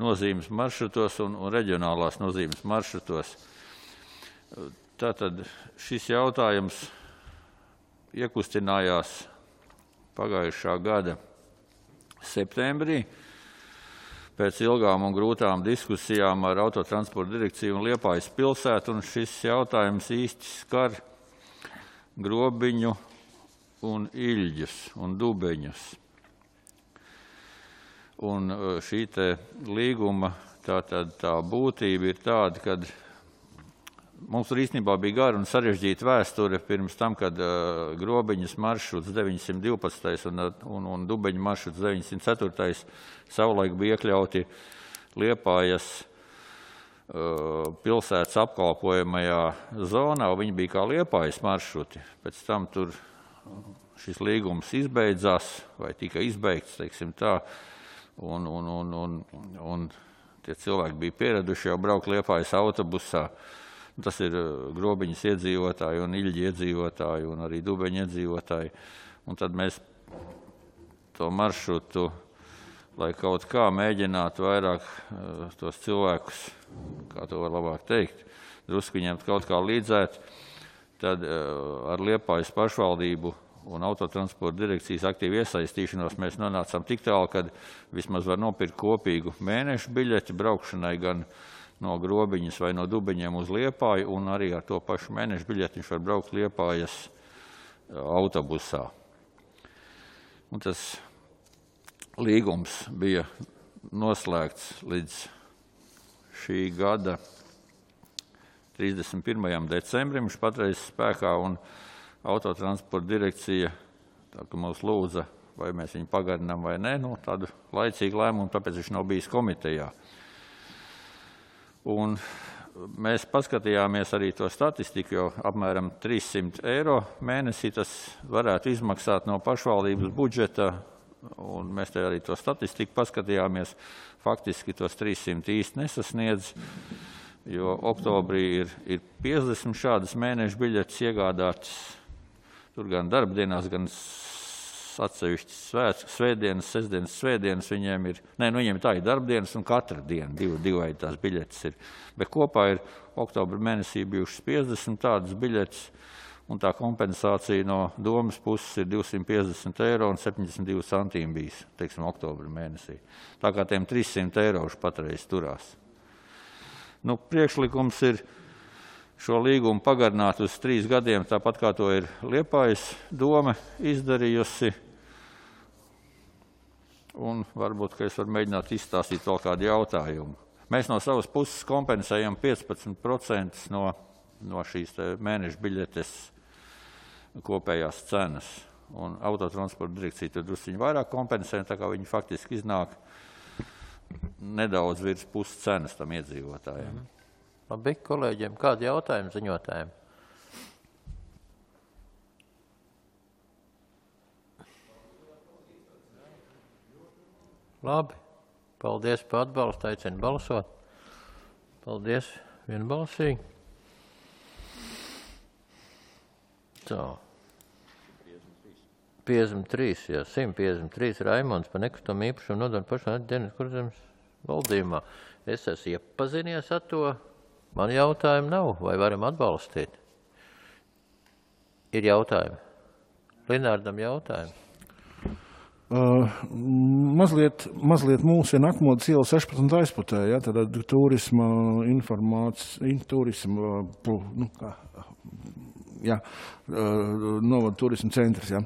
nozīmes maršrutos un reģionālās nozīmes maršrutos. Tātad šis jautājums iekustinājās pagājušā gada septembrī pēc ilgām un grūtām diskusijām ar Autotransporta direkciju un Liepājas pilsētu, un šis jautājums īsti skar Grobiņu un Iļģus un Dubeņus. Un šī te līguma tā būtība ir tāda, kad mums īstenībā bija gara un sarežģīta vēsture pirms tam, kad Grobiņas maršruts 912. un Dubeņa maršruts 904. savulaik bija iekļauti Liepājas pilsētas apkalpojamajā zonā, un viņi bija kā Liepājas maršruti. Pēc tam tur šis līgums izbeidzās, vai tika izbeigts, teiksim tā, un tie cilvēki bija pieraduši jau braukt Liepājas autobusā. Tas ir Grobiņas iedzīvotāji un Iļģi iedzīvotāji un arī Dubeņa iedzīvotāji. Un tad mēs to maršrutu, lai kaut kā mēģinātu vairāk tos cilvēkus, kā to var labāk teikt, drusku viņiem kaut kā līdzēt, tad ar Liepājas pašvaldību un Autotransporta direkcijas aktīvu iesaistīšanos mēs nonācām tik tālu, kad vismaz var nopirkt kopīgu mēnešu biļeti braukšanai gan no Grobiņas vai no Dubeņiem uz Liepāju, un arī ar to pašu mēnešu biļeti viņš var braukt Liepājas autobusā. Un tas līgums bija noslēgts līdz šī gada 31. decembrim. Viņš patreiz spēkā un autotransporta direkcija tā, ka mūs lūdza, vai mēs viņu pagarinām vai nē, tādu laicīgu lēmumu, tāpēc viņš nav bijis komitejā. Un mēs paskatījāmies arī to statistiku, jo apmēram 300 eiro mēnesī tas varētu izmaksāt no pašvaldības budžeta, un mēs te arī to statistiku paskatījāmies. Faktiski tos 300 īsti nesasniedz, jo oktobrī ir 50 šādas mēneša biļetes iegādātas. Tur gan darbdienās, gan atsevišķas svētdienas, sestdienas, svētdienas viņiem ir. Viņiem tā ir darbdienas un katra diena, divi tās biļetes ir. Bet kopā ir oktobra mēnesī bijušas 50 tādas biļetes, un tā kompensācija no domas puses ir 250 eiro un 72 centīmi bijis, teiksim, oktobra mēnesī. Tā kā tiem 300 eiro patreiz turās. Priekšlikums ir šo līgumu pagarināt uz 3 gadiem, tāpat kā to ir Liepājas doma izdarījusi. Un varbūt, ka es varu mēģināt izstāstīt vēl kādu jautājumu. Mēs no savas puses kompensējam 15% no šīs mēneša biļetes kopējās cenas. Un autotransporta direkcija tur drusciņi vairāk kompensē, tā kā viņi faktiski iznāk nedaudz virs puses cenas tam iedzīvotājiem. Labi, kolēģiem, kādi jautājumi ziņotājiem? Labi, paldies par atbalstu, aicinu balsot. Paldies, vienbalsīgi. Tā. 53, jā, 153 Raimonds par nekustamo īpašumu nodomu pašām dienas kurzemes valdījumā. Es esmu iepazinies ar to. Man jautājumu nav, vai varam atbalstīt? Ir jautājumi. Linārdam jautājumi. Mazliet mūsina Akmodas iela 16 aizputē, ja, tad turisma informācija, turisma, novada turisma centrs, ja.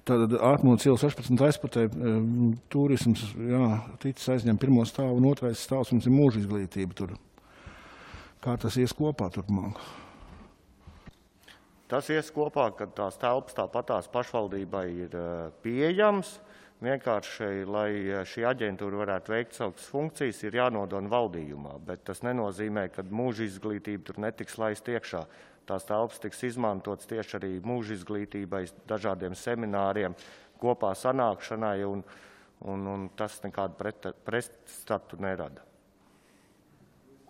Tad Akmodas iela 16 aizputē turisms, ticis aizņem pirmo stāvu un otrais stāvs, mums ir mūža izglītība tur. Kā tas ies kopā turpmāk? Tas ies kopā, kad tās telpas tāpatās pašvaldībai ir pieejams. Vienkārši, lai šī aģentūra varētu veikt savas funkcijas, ir jānodona valdījumā, bet tas nenozīmē, ka mūža izglītība tur netiks laist iekšā. Tās telpas tiks izmantotas tieši arī mūža izglītībai, dažādiem semināriem, kopā sanākšanai, un tas nekādu pretstatu nerada.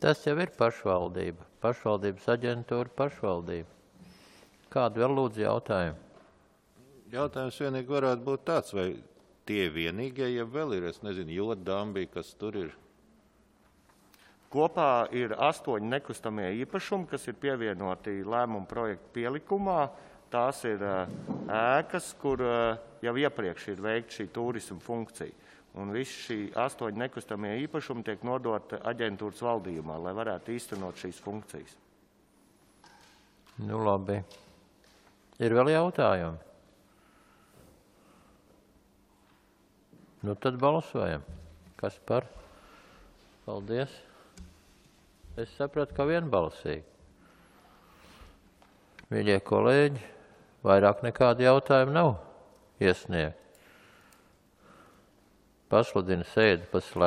Tas jau ir pašvaldība, pašvaldības aģentūra, pašvaldība. Kādu vēl lūdzu jautājumu? Jautājums vienīgi varētu būt tāds, vai tie vienīgie, ja vēl ir, es nezinu, Jodambī, kas tur ir? Kopā ir 8 nekustamie īpašumi, kas ir pievienoti lēmumu projektu pielikumā. Tās ir ēkas, kur jau iepriekš ir veikta šī turisma funkcija. Un visi šī 8 nekustamie īpašumi tiek nodota aģentūras valdījumā, lai varētu īstenot šīs funkcijas. Labi. Ir vēl jautājumi? Tad balsojam. Kas par? Paldies. Es sapratu, ka vienbalsīgi. Mīļie kolēģi, vairāk nekādi jautājumi nav iesniegt. Pasludinu sēdi par slēgtu.